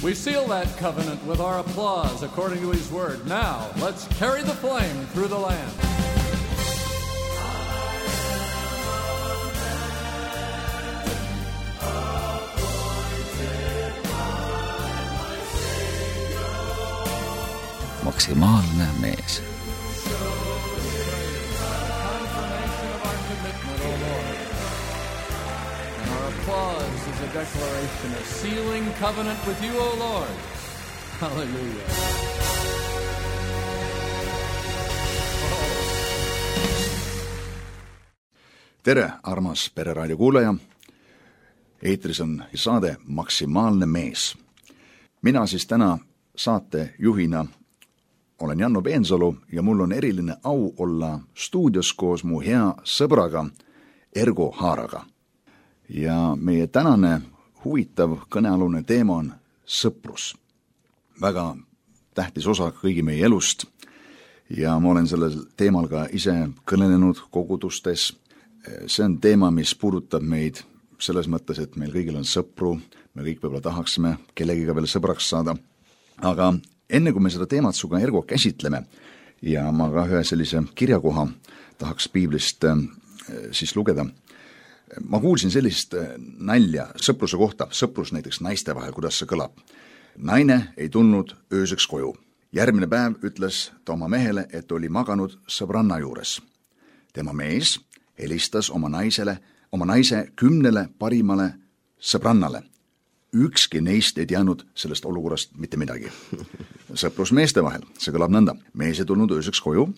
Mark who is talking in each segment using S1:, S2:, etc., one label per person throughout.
S1: We seal that covenant with our applause according to his word. Now, let's carry the flame through the land.
S2: Maksimaalne mees.
S1: Applause is a declaration of sealing covenant with you, O Lord. Hallelujah.
S3: Tere, armas Pereraadio kuulaja. Eetris on saade Maksimaalne mees. Mina siis täna saate juhina olen Janno Peensalu ja mul on eriline au olla stuudios koos mu hea sõbraga Ergo Haaraga. Ja meie tänane huvitav kõnealune teema on sõprus. Väga tähtis osa kõigi meie elust ja ma olen sellel teemal ka ise kõnelenud kogudustes. See on teema, mis puudutab meid selles mõttes, et meil kõigil on sõpru, me kõik võib-olla tahaksime kellegiga veel sõbraks saada. Aga enne kui me seda teemat suga Ergo käsitleme ja ma ka ühe sellise kirjakoha tahaks piiblist siis lugeda. Ma kuulsin sellist nalja sõpruse kohta, sõprus näiteks naiste vahel, kuidas see kõlab. Naine ei tulnud ööseks koju. Järgmine päev ütles ta oma mehele, et oli maganud sõbranna juures. Tema mees helistas oma naise 10 parimale sõbrannale. Ükski neist ei teadnud sellest olukorrast mitte midagi. Sõprus meeste vahel, see kõlab nõnda. Mees ei tulnud ööseks koju.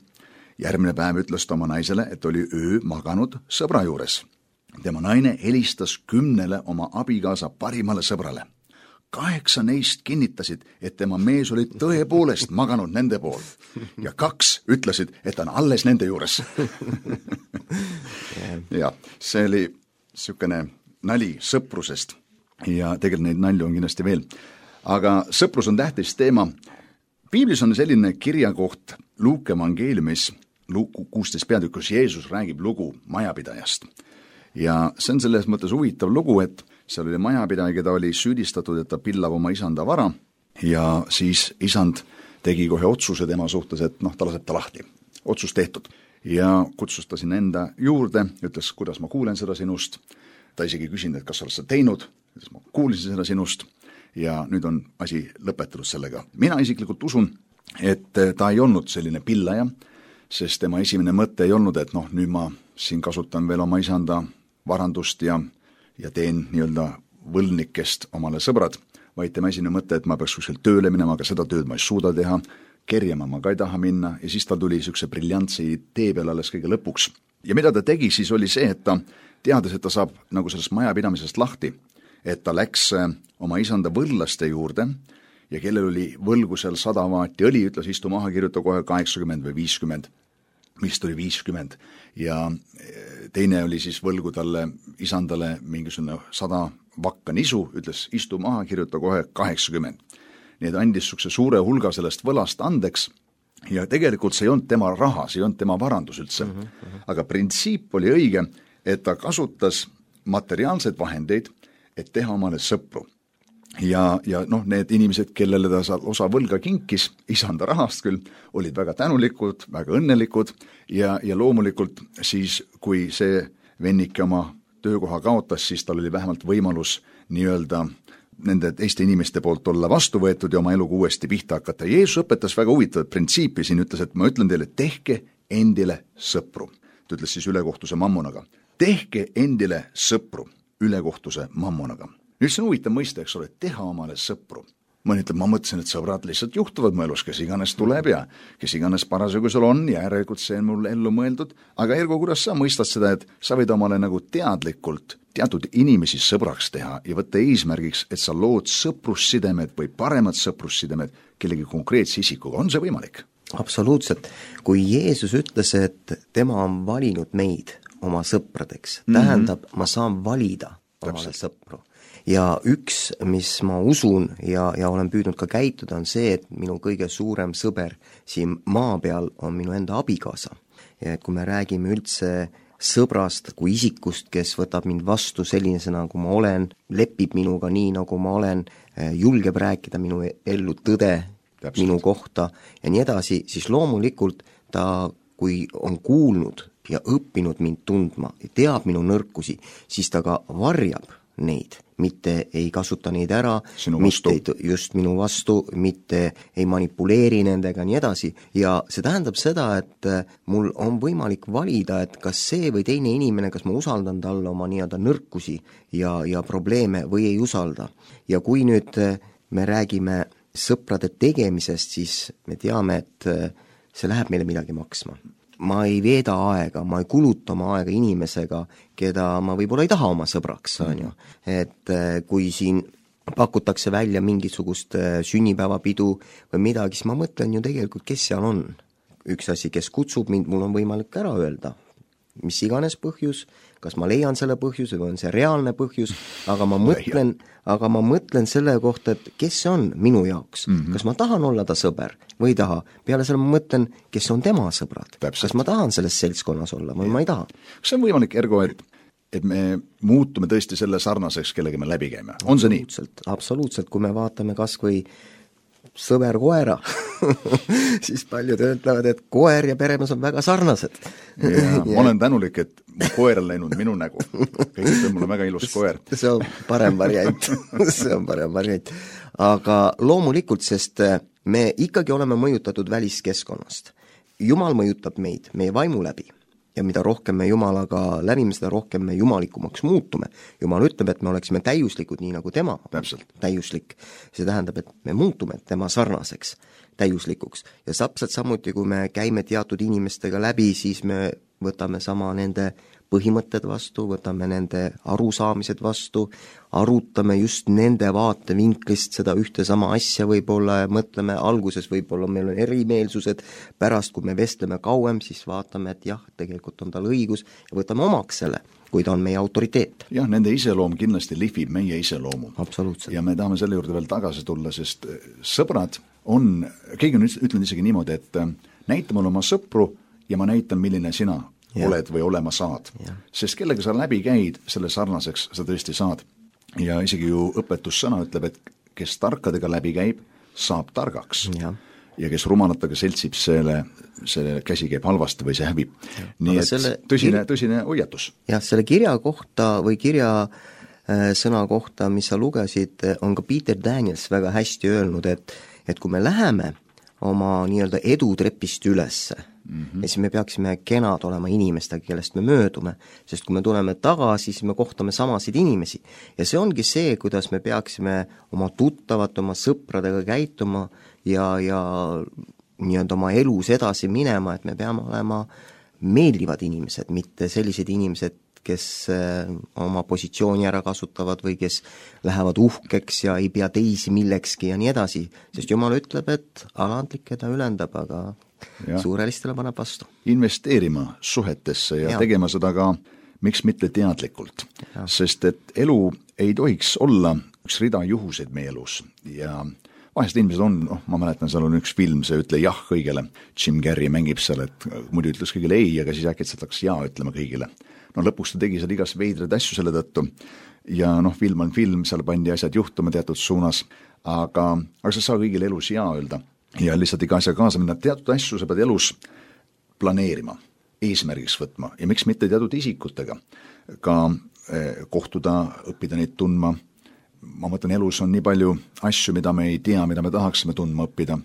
S3: Järgmine päev ütles ta oma naisele, et oli öö maganud sõbra juures. Tema naine helistas 10 oma abikaasa parimale sõbrale. 8 neist kinnitasid, et tema mees oli tõepoolest maganud nende pool. Ja 2 ütlesid, et ta on alles nende juures. Ja see oli niisugune nali sõprusest. Ja tegelikult neid nalju on kindlasti veel. Aga sõprus on tähtis teema. Piiblis on selline kirjakoht Luuke evangeeliumis, Luuku 16 peatükk, kus Jeesus räägib lugu majapidajast. Ja see on selles mõttes huvitav lugu, et seal oli majapidaja, keda oli süüdistatud, et ta pillab oma isanda vara ja siis isand tegi kohe otsuse tema suhtes, et ta laseb ta lahti. Otsus tehtud. Ja kutsus ta sinna enda juurde, ütles, kuidas ma kuulen seda sinust. Ta isegi küsinud, et kas sa oled seda teinud. Ütles, ma kuulisin seda sinust ja nüüd on asi lõpetatud sellega. Mina isiklikult usun, et ta ei olnud selline pillaja, sest tema esimene mõte ei olnud, et nüüd ma siin kasutan veel oma isanda varandust ja teen nii-öelda võlnikest omale sõbrad, vaid tema esimene mõte, et ma peaks kuskil tööle minema, aga seda tööd ma ei suuda teha, kerjama ma ka ei taha minna ja siis ta tuli niisuguse briljantsi tee peale alles kõige lõpuks. Ja mida ta tegi siis oli see, et ta teades, et ta saab nagu sellest majapidamisest lahti, et ta läks oma isanda võllaste juurde ja kellel oli võlgu seal 100 vaati õli, ütles istu maha, kirjuta kohe 80 või 50, vist oli 50 ja teine oli siis võlgu talle isandale mingisugune 100 vakka nisu, ütles istu maha, kirjuta kohe 80. Nii et andis niisuguse suure hulga sellest võlast andeks ja tegelikult see ei olnud tema raha, see ei olnud tema varandus üldse. Aga printsiip oli õige, et ta kasutas materiaalseid vahendeid, et teha omale sõpru. Ja need inimesed, kellele ta osa võlga kinkis, isanda rahast küll, olid väga tänulikud, väga õnnelikud ja loomulikult siis, kui see vennike oma töökoha kaotas, siis tal oli vähemalt võimalus nii-öelda nende teiste inimeste poolt olla vastu võetud ja oma eluga uuesti pihta hakata. Jeesus õpetas väga huvitavat printsiipi, siin ütles, et ma ütlen teile, tehke endile sõpru. Ta ütles siis ülekohtuse mammonaga. Tehke endile sõpru ülekohtuse mammonaga. Nüüd see on huvitav mõiste, eks ole, teha omale sõpru. Mõni ütleb, ma mõtlesin, et sõbrad lihtsalt juhtuvad mu elus, kes iganes tuleb ja kes iganes parasjagu sul on ja järelikult see on mul ellu mõeldud. Aga Ergo, kuidas sa mõistad seda, et sa võid omale nagu teadlikult teatud inimesi sõbraks teha ja võtta eesmärgiks, et sa lood sõprussidemed või paremad sõprussidemed kellegi konkreetse isikuga. On see võimalik?
S4: Absoluutselt. Kui Jeesus ütles, et tema on valinud meid oma sõpradeks, tähendab, ma saan valida omale sõpru. Ja üks, mis ma usun ja olen püüdnud ka käituda, on see, et minu kõige suurem sõber siin maa peal on minu enda abikaasa. Ja kui me räägime üldse sõbrast kui isikust, kes võtab mind vastu sellisena, nagu ma olen, lepib minuga nii, nagu ma olen, julgeb rääkida minu ellu tõde Täpselt. Minu kohta ja nii edasi, siis loomulikult ta, kui on kuulnud ja õppinud mind tundma ja teab minu nõrkusi, siis ta ka varjab neid, mitte ei kasuta neid ära, mitte just minu vastu, mitte ei manipuleeri nendega, nii edasi. Ja see tähendab seda, et mul on võimalik valida, et kas see või teine inimene, kas ma usaldan talle oma nii-öelda nõrkusi ja probleeme või ei usalda. Ja kui nüüd me räägime sõprade tegemisest, siis me teame, et see läheb meile midagi maksma. Ma ei veeda aega, ma ei kuluta oma aega inimesega, keda ma võib-olla ei taha oma sõbraks, on ju. Et kui siin pakutakse välja mingisugust sünnipäevapidu või midagi, siis ma mõtlen ju tegelikult, kes seal on. Üks asi, kes kutsub mind, mul on võimalik ära öelda, mis iganes põhjus, kas ma leian selle põhjuse või on see reaalne põhjus, aga ma mõtlen selle kohta, et kes see on minu jaoks. Kas ma tahan olla ta sõber või ei taha. Peale selle ma mõtlen, kes on tema sõbrad. Kas ma tahan selles seltskonnas olla või ma ei taha.
S3: Kas see on võimalik, Ergo, et me muutume tõesti selle sarnaseks, kellega me läbi käime? On see nii?
S4: Absoluutselt, kui me vaatame kas või sõber koera siis paljud ütlevad, et koer ja peremees on väga sarnased.
S3: Ma olen tänulik, et mu koer on läinud minu nägu. Kõigest on mulle väga ilus koer.
S4: See on parem variant. See on parem variant. Aga loomulikult, sest me ikkagi oleme mõjutatud väliskeskkonnast. Jumal mõjutab meid, meie vaimu läbi. Ja mida rohkem me Jumalaga läbime, seda rohkem me jumalikumaks muutume. Jumal ütleb, et me oleksime täiuslikud nii nagu tema. Täiuslik. See tähendab, et me muutume tema sarnaseks, täiuslikuks. Ja täpselt samuti, kui me käime teatud inimestega läbi, siis me võtame sama nende põhimõtted vastu, võtame nende arusaamised vastu, arutame just nende vaatevinklist seda ühte sama asja võib-olla ja mõtleme alguses võib-olla meil on erimeelsused, pärast kui me vestleme kauem, siis vaatame, et jah, tegelikult on tal õigus ja võtame omaks selle, kui ta on meie autoriteet.
S3: Jah, nende iseloom kindlasti lihvib meie iseloomu.
S4: Absoluutselt.
S3: Ja me tahame selle juurde veel tagasi tulla, sest sõbrad on, keegi on ütlen isegi niimoodi, et näita mulle oma sõpru ja ma näitan, milline sina oled või olema saad. Sest kellega sa läbi käid, selle sarnaseks sa tõesti saad. Ja isegi ju õpetussõna ütleb, et kes tarkadega läbi käib, saab targaks. Ja kes rumalatega seltsib, selle käsi käib halvasti või see häbib. Nii et tõsine hoiatus.
S4: Jah, selle kirja kohta või kirja sõna kohta, mis sa lugesid, on ka Peter Daniels väga hästi öelnud, et kui me läheme oma nii-öelda edutrepist ülesse, ja siis me peaksime kenad olema inimestega, kellest me möödume, sest kui me tuleme tagasi, siis me kohtame samasid inimesi. Ja see ongi see, kuidas me peaksime oma tuttavate, oma sõpradega käituma ja nii-öelda oma elus edasi minema, et me peame olema meeldivad inimesed, mitte sellised inimesed, kes oma positsiooni ära kasutavad või kes lähevad uhkeks ja ei pea teisi millekski ja nii edasi, sest Jumal ütleb, et alandlik, keda ülendab, aga suurelistele paneb vastu.
S3: Investeerima suhetesse ja tegema seda ka, miks mitte teadlikult, sest et elu ei tohiks olla üks rida juhuseid meie elus ja vahest inimesed on, ma mäletan, seal on üks film, see ütle jah kõigele, Jim Carrey mängib seal, et muidu ütles kõigile ei, aga siis äkitselt hakkas jaa ütlema kõigile. No lõpuks ta tegi seal igas veidrad asju selle tõttu ja film on film, seal pandi asjad juhtuma teatud suunas, aga sa saa kõigile elus jaa öelda ja lihtsalt iga asja kaasa minna, teatud asju sa pead elus planeerima, eesmärgiks võtma ja miks mitte teatud isikutega ka kohtuda, õppida neid tundma. Ma mõtlen, elus on nii palju asju, mida me ei tea, mida me tahaksime tundma õppida.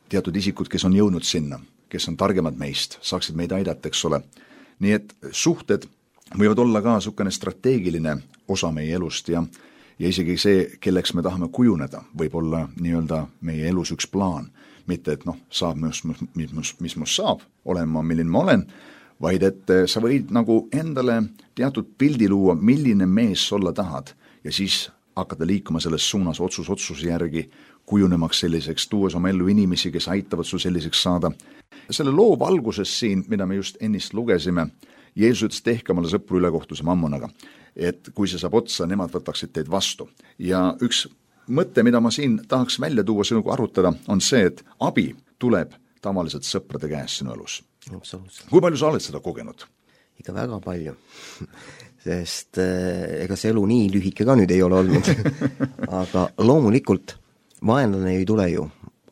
S3: Teatud isikud, kes on jõudnud sinna, kes on targemad meist, saaksid meid aidata, eks ole. Nii et suhted võivad olla ka niisugune strateegiline osa meie elust ja isegi see, kelleks me tahame kujuneda, võib olla nii-öelda meie elus üks plaan. Mitte, et saab, mis must saab, olen ma, milline ma olen, vaid et sa võid nagu endale teatud pildi luua, milline mees olla tahad ja siis hakata liikuma selles suunas otsuse järgi, kujunemaks selliseks, tuues oma ellu inimesi, kes aitavad sul selliseks saada. Selle loo valguses siin, mida me just ennist lugesime, Jeesus ütles, tehke omale sõpru ülekohtuse mammonaga, et kui see saab otsa, nemad võtaksid teid vastu. Ja üks mõte, mida ma siin tahaks välja tuua, sinuga arutada, on see, et abi tuleb tavaliselt sõprade käes sinu elus. Kui palju sa oled seda kogenud?
S4: ikka väga palju sest ega see elu nii lühike ka nüüd ei ole olnud aga loomulikult vaenlane ei tule ju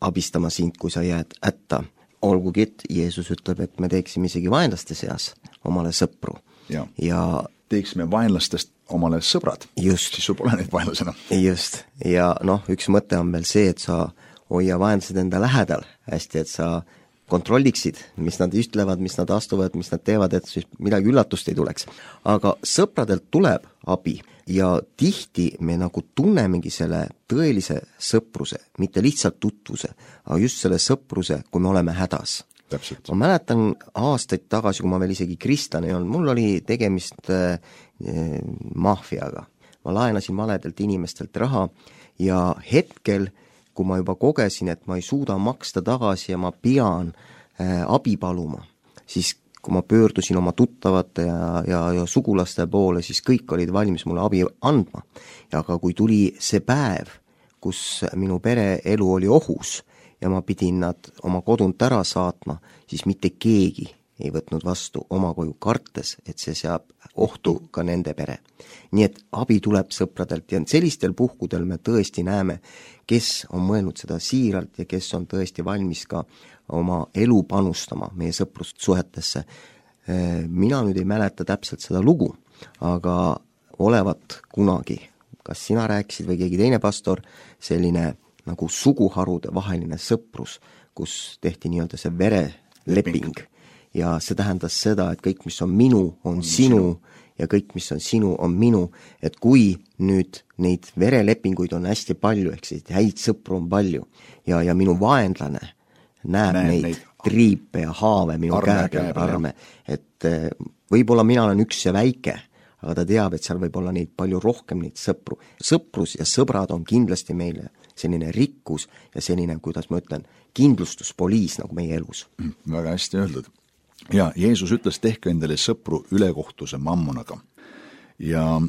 S4: abistama sind, kui sa jääd hätta. Olgugi, et Jeesus ütleb, et me teeksime isegi vaenlaste seas omale sõpru.
S3: Ja teeksime vaenlastest omale sõbrad.
S4: Just.
S3: Siis sul pole neid vaenlasena.
S4: Just. Ja üks mõte on veel see, et sa hoia vaenlased enda lähedal hästi, et sa kontrolliksid, mis nad ütlevad, mis nad astuvad, mis nad teevad, et siis midagi üllatust ei tuleks. Aga sõpradelt tuleb abi ja tihti me nagu tunnemegi selle tõelise sõpruse, mitte lihtsalt tutvuse, aga just selle sõpruse, kui me oleme hädas.
S3: Täpselt.
S4: Ma mäletan aastaid tagasi, kui ma veel isegi kristlane ei olnud, mul oli tegemist maffiaga. Ma laenasin valedelt inimestelt raha ja hetkel kui ma juba kogesin, et ma ei suuda maksta tagasi ja ma pean abi paluma, siis kui ma pöördusin oma tuttavate ja sugulaste poole, siis kõik olid valmis mulle abi andma. Aga kui tuli see päev, kus minu pere elu oli ohus ja ma pidin nad oma kodunt ära saatma, siis mitte keegi ei võtnud vastu oma koju kartes, et see seab ohtu ka nende pere. Nii et abi tuleb sõpradelt ja sellistel puhkudel me tõesti näeme, kes on mõelnud seda siiralt ja kes on tõesti valmis ka oma elu panustama meie sõprussuhetesse. Mina nüüd ei mäleta täpselt seda lugu, aga olevat kunagi, kas sina rääkisid või keegi teine pastor, selline nagu suguharude vaheline sõprus, kus tehti nii-öelda see vereleping. Ja see tähendas seda, et kõik, mis on minu, on sinu ja kõik, mis on sinu, on minu. Et kui nüüd neid verelepinguid on hästi palju, ehk siis häid sõpru on palju ja minu vaenlane näeb neid triipe ja haave minu arme. Et võib-olla mina olen üks ja väike, aga ta teab, et seal võib olla neid palju rohkem neid sõpru. Sõprus ja sõbrad on kindlasti meile selline rikkus ja selline, kuidas ma ütlen, kindlustuspoliis nagu meie elus.
S3: Väga hästi öeldud. Ja Jeesus ütles, tehke endale sõpru ülekohtuse mammonaga. Ja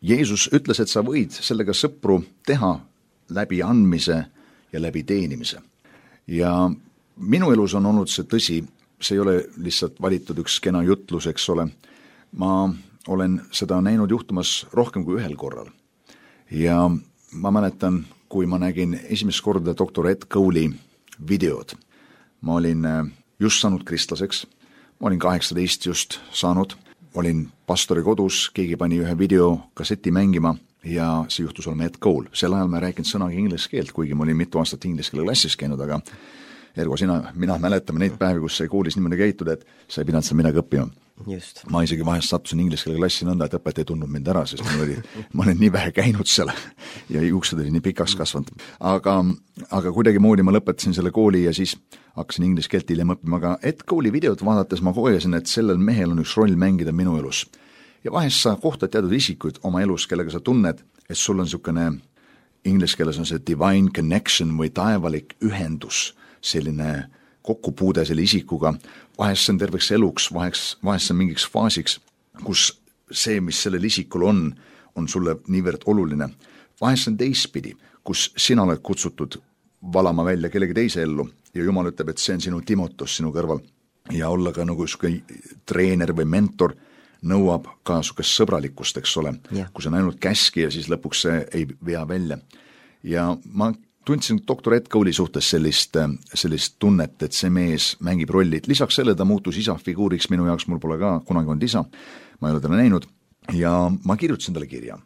S3: Jeesus ütles, et sa võid sellega sõpru teha läbi andmise ja läbi teenimise. Ja minu elus on olnud see tõsi, see ei ole lihtsalt valitud üks kena jutlus, eks ole. Ma olen seda näinud juhtumas rohkem kui ühel korral. Ja ma mäletan, kui ma nägin esimest korda doktor Ed Cooley videod. Ma olin just saanud kristlaseks, ma olin 18 just saanud, olin pastori kodus, keegi pani ühe videokasseti mängima ja see juhtus olema Ed Cole. Sel ajal ma ei rääkinud sõnaga inglise keelt, kuigi ma olin mitu aastat inglise keele klassis käinud, aga Ergo, mina mäletame neid päevi, kus sai koolis niimoodi käitud, et sa ei pidanud seal midagi õppima.
S4: Just.
S3: Ma isegi vahest sattusin inglise keele klassi nõnda, et õpetaja ei tundnud mind ära, sest ma olin nii vähe käinud seal ja juuksed oli nii pikaks kasvanud. Aga kuidagi moodi ma lõpetasin selle kooli ja siis hakkasin inglise keelt hiljem õppima, aga Ed Cooley videot vaadates ma kogesin, et sellel mehel on üks roll mängida minu elus. Ja vahest sa kohtad teatud isikuid oma elus, kellega sa tunned, et sul on niisugune, inglise keeles on see divine connection või taevalik ühendus, selline kokkupuude selle isikuga, vahest see on terveks eluks, vahest see on mingiks faasiks, kus see, mis sellel isikul on sulle niivõrd oluline. Vahest see on teistpidi, kus sina oled kutsutud valama välja kellegi teise ellu ja Jumal ütleb, et see on sinu Timotos sinu kõrval ja olla ka nagu treener või mentor nõuab ka sukest sõbralikkust, eks ole, kui see on ainult käski ja siis lõpuks see ei vea välja. Ja ma tundsin doktor Ed Cooley suhtes sellist tunnet, et see mees mängib rollit. Lisaks selle ta muutus isa figuuriks minu jaoks, mul pole ka kunagi olnud isa, ma ei ole teda näinud ja ma kirjutasin talle kirja.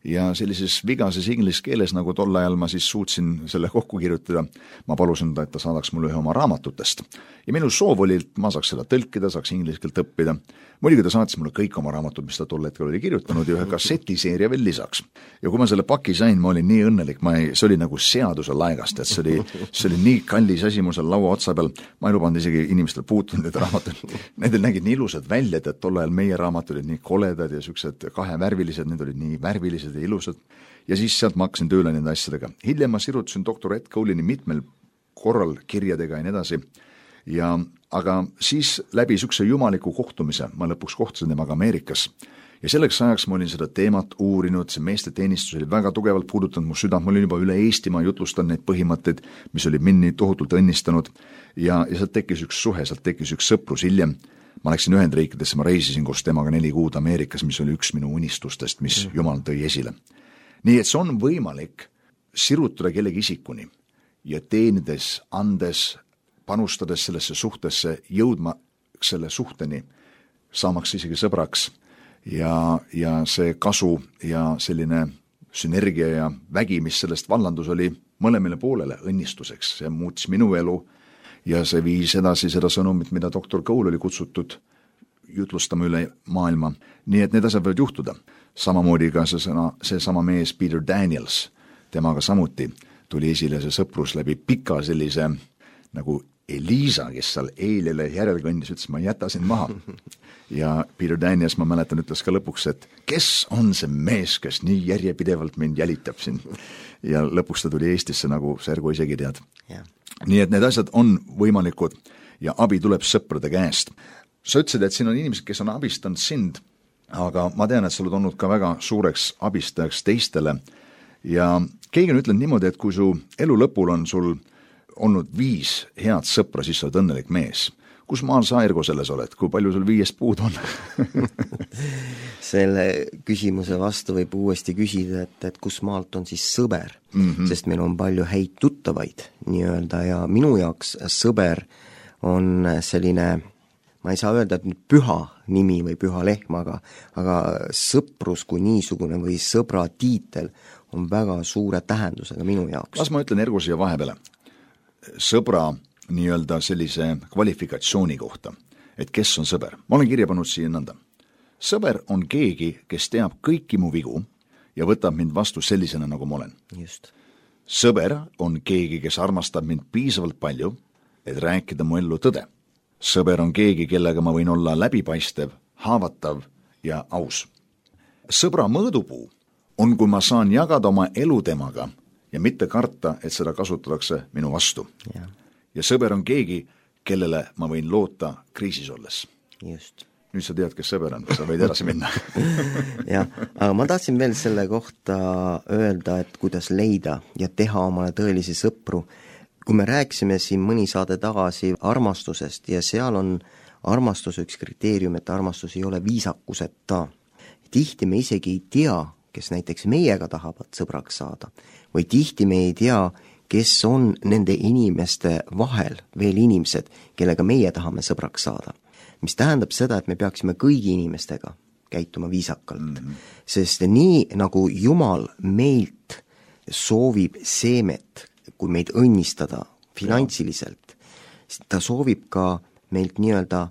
S3: Ja sellises vigases inglise keeles, nagu tol ajal ma siis suutsin selle kokku kirjutada, ma palusin ta, et ta saadaks mulle ühe oma raamatutest. Ja minu soov oli, et ma saaks seda tõlkida, saaks inglise keelt õppida. Muidugi ta saatis mulle kõik oma raamatud, mis ta tol hetkel oli kirjutanud ja ühe kassetiseeria veel lisaks. Ja kui ma selle paki sain, ma olin nii õnnelik, see oli nagu seaduse laegast, et see oli nii kallis asi mu seal laua otsa peal, ma ei lubanud isegi inimestel puutunud need raamatud. Need nägid nii ilusad välja, et tol ajal meie raamat olid nii koledad ja süksed kahevärvilised, need olid nii värvilised ja ilusad. Ja siis sealt ma hakkasin tööle nende asjadega. Hiljem ma sirutasin doktor Ed Cooleyni mitmel korral kirjadega ja nii edasi. Aga siis läbi sükse jumaliku kohtumise ma lõpuks kohtusin temaga Ameerikas. Ja selleks ajaks ma olin seda teemat uurinud, see meeste teenistus oli väga tugevalt puudutanud mu südant, ma olin juba üle Eestimaa jutlustan neid põhimõtteid, mis oli mind nii tohutult õnnistanud ja sealt tekkis üks suhe, sealt tekkis üks sõprus hiljem. ma läksin Ühendriikidesse, ma reisisin koos temaga 4 kuud Ameerikas, mis oli üks minu unistustest, mis Jumal tõi esile. Nii et see on võimalik sirutada kellegi isikuni ja teenides, andes, panustades sellesse suhtesse, jõudma selle suhteni, saamaks isegi sõbraks ja see kasu ja selline sünergia ja vägi, mis sellest vallandus, oli mõlemale poolele õnnistuseks. See muutis minu elu ja see viis edasi seda sõnumit, mida doktor Cole oli kutsutud jutlustama üle maailma. Nii et need asjad võivad juhtuda. Samamoodi ka see sama mees Peter Daniels, temaga samuti tuli esile see sõprus läbi pika sellise nagu Elisa, kes seal eilele järelkõndis, ütles, ma jätasin maha. Ja Peter Daniels, ma mäletan, ütles ka lõpuks, et kes on see mees, kes nii järjepidevalt mind jälitab siin. Ja lõpuks ta tuli Eestisse nagu Sergo isegi tead. Yeah. Nii et need asjad on võimalikud ja abi tuleb sõprade käest. Sa ütlesid, et siin on inimesed, kes on abistanud sind, aga ma tean, et sa oled olnud ka väga suureks abistajaks teistele ja keegi on ütlenud niimoodi, et kui su elu lõpul on sul olnud 5 head sõpra, siis sa oled õnnelik mees. Kus maal sa, Ergo, selles oled? Kui palju sul 5 puud on?
S4: Selle küsimuse vastu võib uuesti küsida, et kus maalt on siis sõber, sest meil on palju häid tuttavaid nii-öelda ja minu jaoks sõber on selline, ma ei saa öelda, et püha nimi või püha lehm, aga sõprus kui niisugune või sõbra tiitel on väga suure tähendusega minu jaoks.
S3: Las ma ütlen Ergo siia vahepeale. Sõbra nii-öelda sellise kvalifikatsiooni kohta, et kes on sõber. Ma olen kirja pannud siia nõnda. Sõber on keegi, kes teab kõiki mu vigu ja võtab mind vastu sellisena, nagu ma olen.
S4: Just.
S3: Sõber on keegi, kes armastab mind piisavalt palju, et rääkida mu ellu tõde. Sõber on keegi, kellega ma võin olla läbipaistev, haavatav ja aus. Sõbra mõõdupuu on, kui ma saan jagada oma elu temaga ja mitte karta, et seda kasutatakse minu vastu. Ja sõber on keegi, kellele ma võin loota kriisis olles.
S4: Just.
S3: Nüüd sa tead, kes sõber on, sa võid edasi minna.
S4: Jah, aga ma tahtsin veel selle kohta öelda, et kuidas leida ja teha omale tõelisi sõpru. Kui me rääkisime siin mõni saade tagasi armastusest ja seal on armastus üks kriteerium, et armastus ei ole viisakuseta. Tihti me isegi ei tea, kes näiteks meiega tahavad sõbraks saada või tihti me ei tea, kes on nende inimeste vahel veel inimesed, kellega meie tahame sõbraks saada. Mis tähendab seda, et me peaksime kõigi inimestega käituma viisakalt. Sest nii nagu Jumal meilt soovib seemet, kui meid õnnistada finantsiliselt, ta soovib ka meilt nii-öelda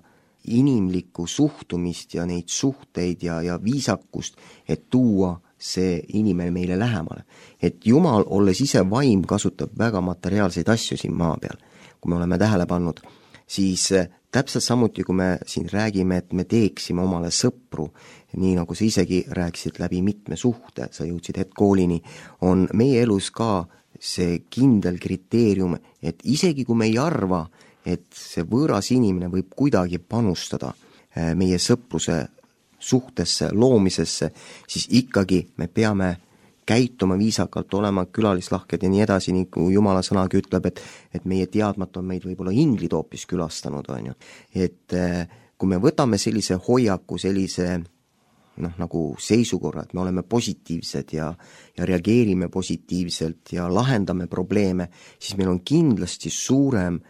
S4: inimlikku suhtumist ja neid suhteid ja viisakust, et tuua see inimene meile lähemale. Et Jumal, olles ise vaim, kasutab väga materiaalseid asju siin maa peal. Kui me oleme tähele pannud, siis täpselt samuti, kui me siin räägime, et me teeksime omale sõpru, nii nagu sa isegi rääkisid läbi mitme suhte, sa jõudsid hetkoolini, on meie elus ka see kindel kriteerium, et isegi kui me ei arva, et see võõras inimene võib kuidagi panustada meie sõpruse suhtesse, loomisesse, siis ikkagi me peame käituma viisakalt, olema külalislahked ja nii edasi, nii kui Jumala sõnagi ütleb, et meie teadmata on meid võib-olla inglid hoopis külastanud, on ju. Et kui me võtame sellise hoiaku, sellise nagu seisukorra, et me oleme positiivsed ja reageerime positiivselt ja lahendame probleeme, siis meil on kindlasti suurem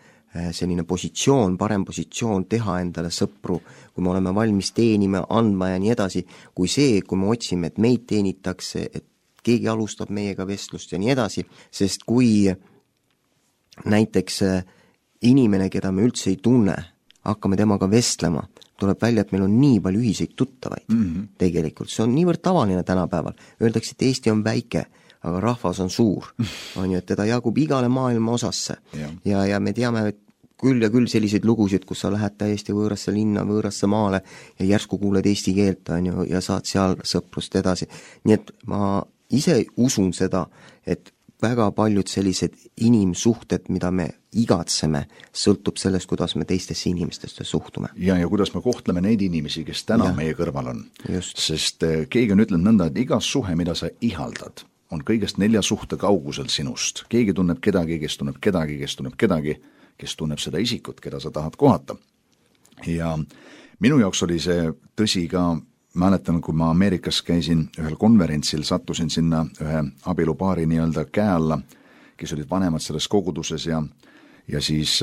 S4: selline positsioon, parem positsioon teha endale sõpru, kui me oleme valmis teenima, andma ja nii edasi, kui see, kui me otsime, et meid teenitakse, et keegi alustab meiega vestlust ja nii edasi, sest kui näiteks inimene, keda me üldse ei tunne, hakkame temaga vestlema, tuleb välja, et meil on nii palju ühiseid tuttavaid. Tegelikult see on niivõrd tavaline tänapäeval. Öeldakse, et Eesti on väike, aga rahvas on suur. On ju, et teda jagub igale maailma osasse. Ja me teame, et küll ja küll selliseid lugusid, kus sa lähed täiesti võõrasse linna, võõrasse maale ja järsku kuuled eesti keelt, on ju, ja saad seal sõprust edasi. Nii et ma ise usun seda, et väga paljud sellised inimsuhted, mida me igatseme, sõltub sellest, kuidas me teistesse inimestesse suhtume.
S3: Ja kuidas me kohtleme neid inimesi, kes täna meie kõrval on. Just. Sest keegi on ütlenud nõnda, et iga suhe, mida sa ihaldad, on kõigest 4 suhte kaugusel sinust. Keegi tunneb kedagi, kes tunneb kedagi, kes tunneb kedagi, kes tunneb seda isikut, keda sa tahad kohata. ja minu jaoks oli see tõsi ka, mäletan, kui ma Ameerikas käisin ühel konverentsil, sattusin sinna ühe abielupaari nii-öelda käe alla, kes olid vanemad selles koguduses ja siis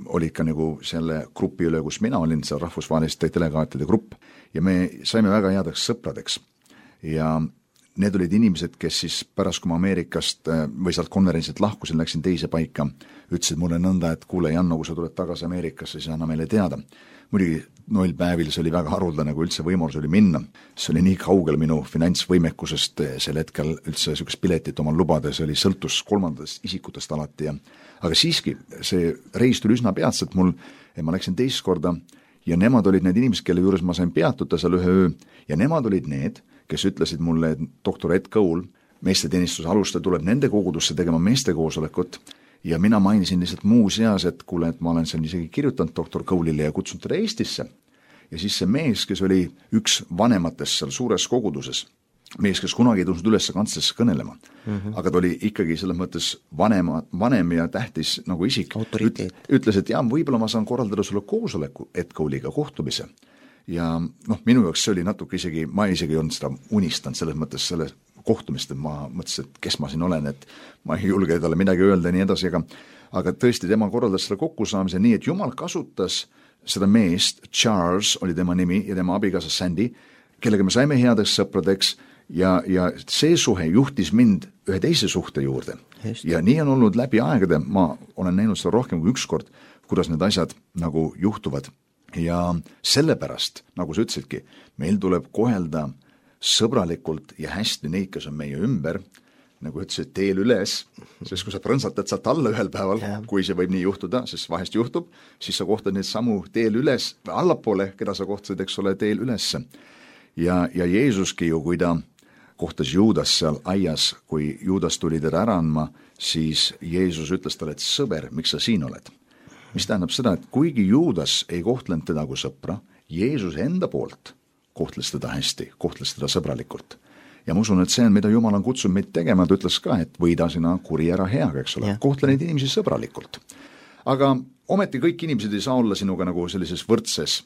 S3: olid ka nagu selle grupi üle, kus mina olin, see rahvusvaheliste delegaatide grupp, ja me saime väga headeks sõpradeks. Ja need olid inimesed, kes siis pärast, kui ma Ameerikast või sealt konverentsilt lahkusin, läksin teise paika, ütlesid mulle nõnda, et kuule, Janno, kui sa tuled tagasi Ameerikasse, siis anna meile teada. Muidugi noilpäevil see oli väga haruldane, kui üldse võimalus oli minna. See oli nii kaugel minu finantsvõimekusest sel hetkel üldse niisugust piletit omal lubada, see oli sõltus kolmandatest isikutest alati. Aga siiski, see reis tuli üsna peatselt mul, ma läksin teist korda ja nemad olid need inimesed, kelle juures ma sain peatuda seal ühe öö ja nemad olid need, kes ütlesid mulle, et doktor Ed Cole, meesteteenistuse alustaja, tuleb nende kogudusse tegema meestekoosolekut ja mina mainisin lihtsalt muuseas, et kuule, et ma olen seal isegi kirjutanud doktor Cole'ile ja kutsunud teda Eestisse. Ja siis see mees, kes oli üks vanematest seal suures koguduses, mees, kes kunagi ei tõusnud üles kantslisse kõnelema, aga ta oli ikkagi selles mõttes vanem ja tähtis nagu isik, ütles, et jah, võib-olla ma saan korraldada sulle koosoleku Ed Cole'iga kohtumise. Ja minu jaoks see oli natuke isegi, ma isegi ei olnud seda unistanud selles mõttes selle kohtumist, et ma mõtlesin, et kes ma siin olen, et ma ei julge talle midagi öelda ja nii edasi, aga tõesti tema korraldas selle kokkusaamise nii, et Jumal kasutas seda meest, Charles oli tema nimi ja tema abikaasa Sandy, kellega me saime headeks sõpradeks ja see suhe juhtis mind ühe teise suhte juurde. Ja nii on olnud läbi aegade, ma olen näinud seda rohkem kui ükskord, kuidas need asjad nagu juhtuvad. Ja sellepärast, nagu sa ütlesidki, meil tuleb kohelda sõbralikult ja hästi neid, kes on meie ümber, nagu ütlesid, teel üles, sest kui sa prõnsatad sealt alla ühel päeval, kui see võib nii juhtuda, sest vahest juhtub, siis sa kohtad neid samu teel üles, allapoole, keda sa kohtasid, eks ole, teel ülesse. Ja Jeesuski ju, kui ta kohtas Juudas seal aias, kui Juudas tuli teda ära andma, siis Jeesus ütles talle, et sõber, miks sa siin oled? Mis tähendab seda, et kuigi Juudas ei kohtlenud teda kui sõpra, Jeesus enda poolt kohtles teda hästi, kohtles teda sõbralikult. Ja ma usun, et see on, mida Jumal on kutsunud meid tegema, ta ütles ka, et võida sina kuri ära heaga, eks ole, kohtle neid inimesi sõbralikult. Aga ometi kõik inimesed ei saa olla sinuga nagu sellises võrdses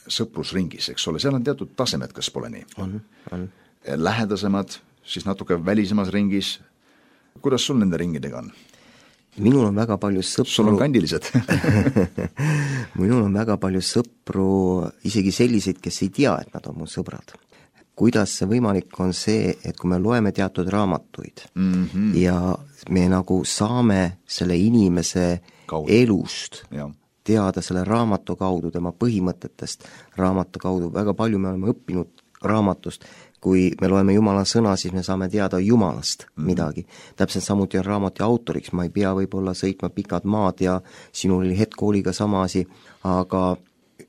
S3: sõprusringis, eks ole, seal on teatud tasemed, kas pole nii?
S4: On.
S3: Lähedasemad, siis natuke välisemas ringis. Kuidas sul nende ringidega on?
S4: Minul on väga palju sõpru.
S3: Sul on kandilised.
S4: Minul on väga palju sõpru, isegi selliseid, kes ei tea, et nad on mu sõbrad. Kuidas see võimalik on see, et kui me loeme teatud raamatuid ja me nagu saame selle inimese elust teada selle raamatu kaudu, tema põhimõtetest raamatu kaudu, väga palju me oleme õppinud raamatust, kui me loeme Jumala sõna, siis me saame teada Jumalast midagi. Täpselt samuti on raamatu autoriks, ma ei pea võib-olla sõitma pikad maad ja sinul oli hetkooliga sama asi, aga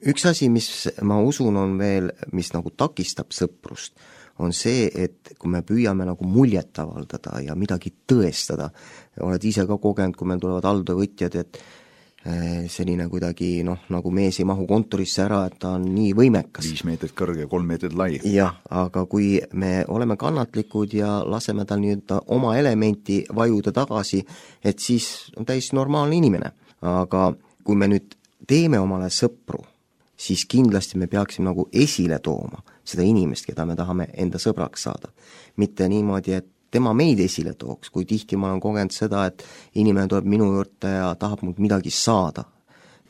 S4: üks asi, mis ma usun on veel, mis nagu takistab sõprust, on see, et kui me püüame nagu muljet avaldada ja midagi tõestada, oled ise ka kogenud, kui meil tulevad alltöövõtjad, et selline kuidagi, nagu mees ei mahu kontorisse ära, et ta on nii võimekas.
S3: 5 meetrit kõrge ja 3 meetrit lai.
S4: Jah, aga kui me oleme kannatlikud ja laseme tal nii-öelda oma elementi vajuda tagasi, et siis on täiesti normaalne inimene. Aga kui me nüüd teeme omale sõpru, siis kindlasti me peaksime nagu esile tooma seda inimest, keda me tahame enda sõbraks saada. Mitte niimoodi, et tema meid esile tooks, kui tihti ma olen kogenud seda, et inimene tuleb minu juurde ja tahab mult midagi saada.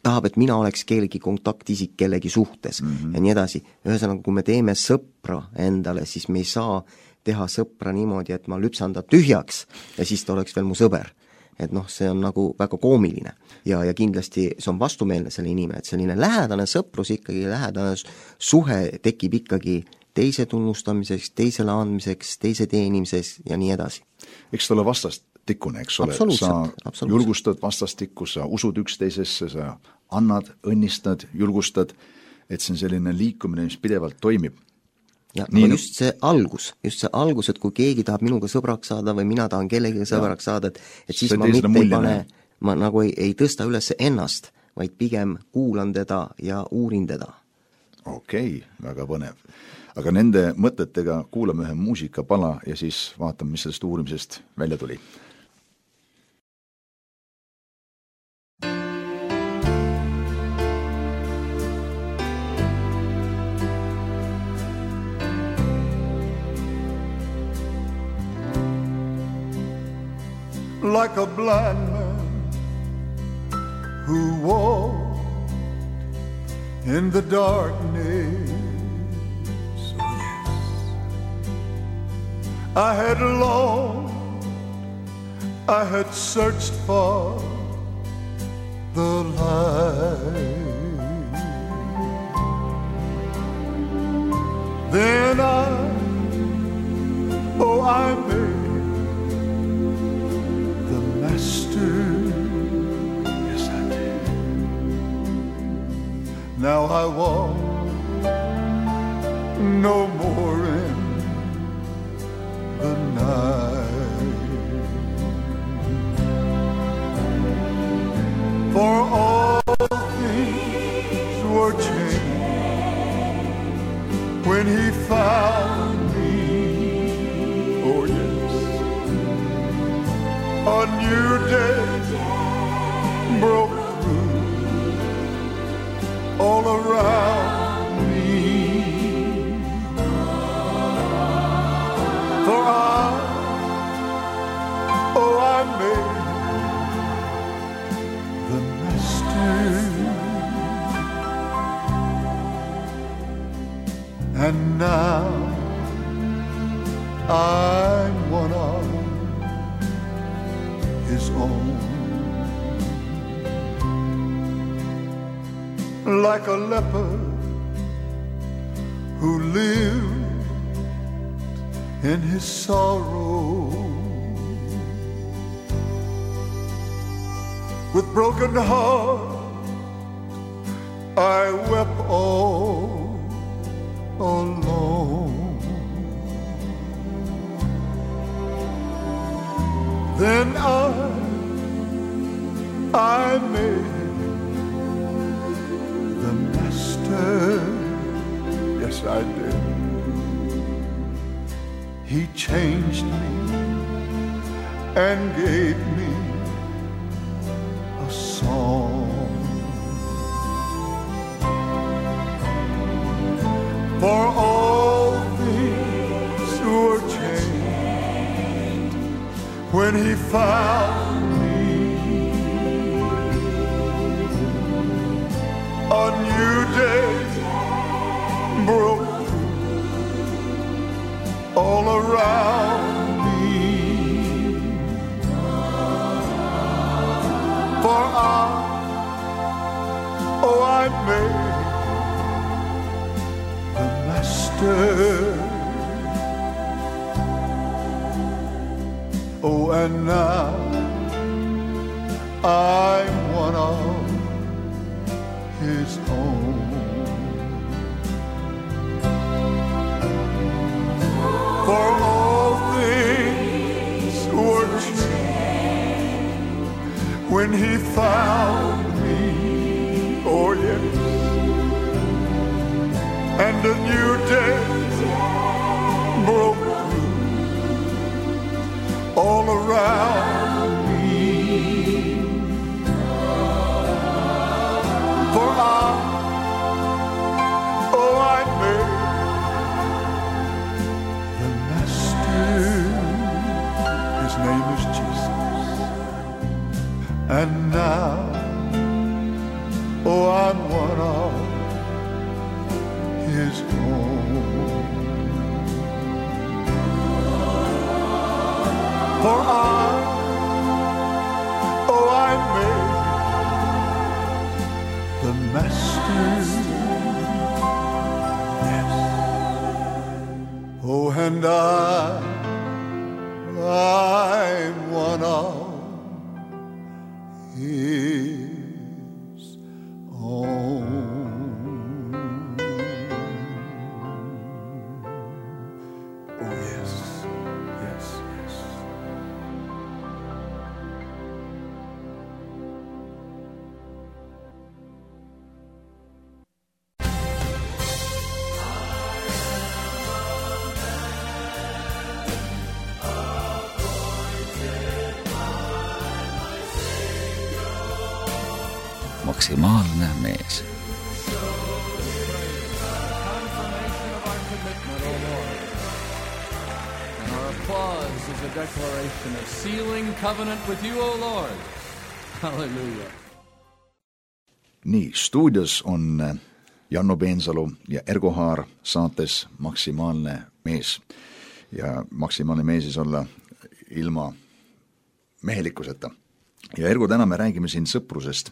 S4: Tahab, et mina oleks kellegi kontaktisik kellegi suhtes ja nii edasi. Ühesõnaga, kui me teeme sõpra endale, siis me ei saa teha sõpra niimoodi, et ma lüpsan ta tühjaks ja siis ta oleks veel mu sõber. Et see on nagu väga koomiline ja kindlasti see on vastumeelne selle inimene, et selline lähedane sõprus ikkagi, lähedane suhe tekib ikkagi teise tunnustamiseks, teisele andmiseks, teise teenimiseks ja nii edasi.
S3: Eks ta ole vastastikkune, eks ole, sa julgustad vastastikku, sa usud üksteisesse, sa annad, õnnistad, julgustad, et see on selline liikumine, mis pidevalt toimib.
S4: Ja nii, just see algus, et kui keegi tahab minuga sõbraks saada või mina tahan kellegi sõbraks saada, et siis ma mitte ei pane, ma nagu ei tõsta üles ennast, vaid pigem kuulan teda ja uurin teda.
S3: Okei, väga põnev. Aga nende mõtetega kuulame ühe muusikapala ja siis vaatame, mis sellest uurimisest välja tuli.
S5: like a blind man who walked in the darkness. Oh yes, I had longed, I had searched for the light. Then I made the master. Yes, I did. Now I walk no more in the night. For all things were changed when he found me. Oh yes, a new day broke through all around me. For I made the master. And now I'm one of his own. Like a leper who lived in his sorrow, with broken heart I wept all alone. Then I made the master. Yes, I did. He changed me and gave me a song. For all things were changed when he found me. A new day broke through all around me. For I made the master. Oh, and now I'm one of his own. For all things were changed when he found me. Oh yes, and a new day broke through all around me. For I made the master. His name is Jesus. And now, I'm one of his own. For I made the master. Yes. Oh, and I'm one of his own. Oh, yes, yes, yes.
S2: Maksimaalne mees.
S1: Confirmation of our commitment, O Lord, and our applause is a declaration of sealing covenant with you, O Lord. Hallelujah.
S3: Nii, stuudios on Janno Peensalu ja Ergo Haar saates Maksimaalne mees. Ja maksimaalne mees siis olla ilma mehelikkuseta. Ja Ergo, täna me räägime siin sõprusest.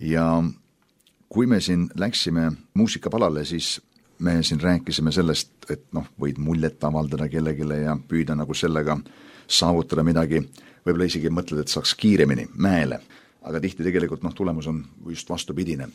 S3: Ja kui me siin läksime muusikapalale, siis me siin rääkisime sellest, et võid muljet avaldada kellegile ja püüda nagu sellega saavutada midagi. Võib-olla isegi mõtled, et saaks kiiremini mäele. Aga tihti tegelikult tulemus on just vastupidine.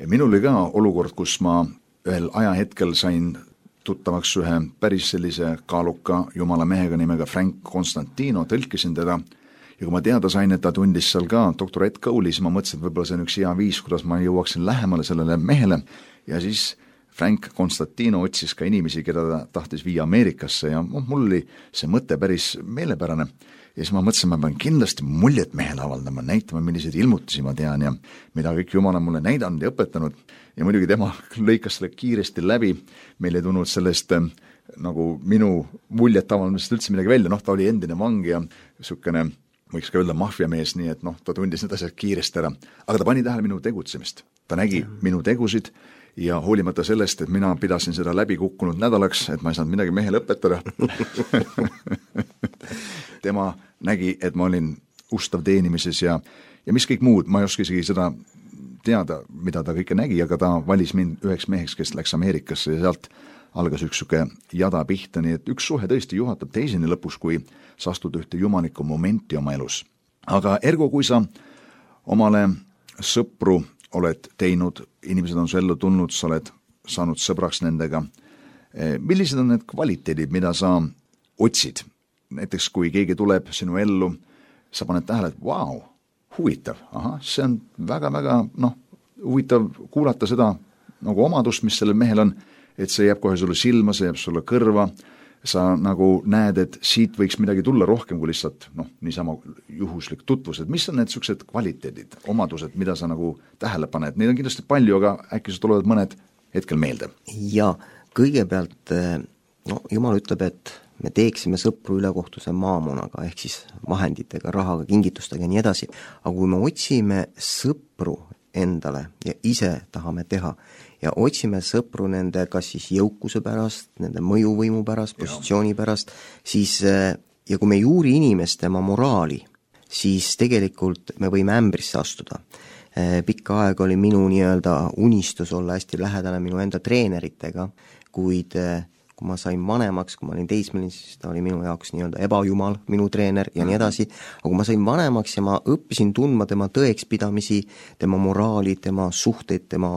S3: Minul oli ka olukord, kus ma ühel ajahetkel sain tuttavaks ühe päris sellise kaaluka jumala mehega nimega Frank Constantino, tõlkisin teda ja kui ma teada sain, et ta tundis seal ka doktor Ed Cole'i, siis ma mõtlesin, et võib-olla see on üks hea viis, kuidas ma jõuaksin lähemale sellele mehele ja siis Frank Constantino otsis ka inimesi, keda ta tahtis viia Ameerikasse ja mul oli see mõte päris meelepärane ja siis ma mõtlesin, ma pean kindlasti muljet mehele avaldama, näitama, milliseid ilmutusi ma tean ja mida kõik Jumal on mulle näidanud ja õpetanud ja muidugi tema lõikas selle kiiresti läbi, meil ei tulnud sellest nagu minu muljet avaldamisest üldse midagi välja, ta oli endine vang ja niisugune, võiks ka öelda maffiamees, nii et ta tundis need asjad kiiresti ära, aga ta pani tähele minu tegutsemist, ta nägi minu tegusid ja hoolimata sellest, et mina pidasin seda läbi kukkunud nädalaks, et ma ei saanud midagi mehele õpetada. Tema nägi, et ma olin ustav teenimises ja mis kõik muud, ma ei oska isegi seda teada, mida ta kõike nägi, aga ta valis mind üheks meheks, kes läks Ameerikasse ja sealt algas üks suke jada pihta, nii et üks suhe tõesti juhatab teiseni lõpus, kui sa astud ühte jumaliku momenti oma elus. Aga Ergo, kui sa omale sõpru oled teinud, inimesed on su ellu tulnud, sa oled saanud sõbraks nendega. Millised on need kvaliteedid, mida sa otsid? Näiteks kui keegi tuleb sinu ellu, sa paned tähele, et vau, huvitav, see on väga-väga huvitav kuulata seda nagu omadust, mis sellel mehel on, et see jääb kohe sulle silma, see jääb sulle kõrva, sa nagu näed, et siit võiks midagi tulla rohkem kui lihtsalt niisama juhuslik tutvus, et mis on need sellised kvaliteedid, omadused, mida sa nagu tähele paned, neid on kindlasti palju, aga äkki sa tulevad mõned hetkel meelde?
S4: Ja kõigepealt Jumal ütleb, et me teeksime sõpru ülekohtuse maamonaga, ehk siis vahenditega, rahaga, kingitustega ja nii edasi, aga kui me otsime sõpru endale ja ise tahame teha ja otsime sõpru nende kas siis jõukuse pärast, nende mõjuvõimu pärast, positsiooni pärast, siis ja kui me ei uuri inimest tema moraali, siis tegelikult me võime ämbrisse astuda. Pikka aega oli minu unistus olla hästi lähedane minu enda treeneritega, kuid kui ma sain vanemaks, kui ma olin teismeline, siis ta oli minu jaoks ebajumal, minu treener ja nii edasi, aga kui ma sain vanemaks ja ma õppisin tundma tema tõekspidamisi, tema moraali, tema suhteid, tema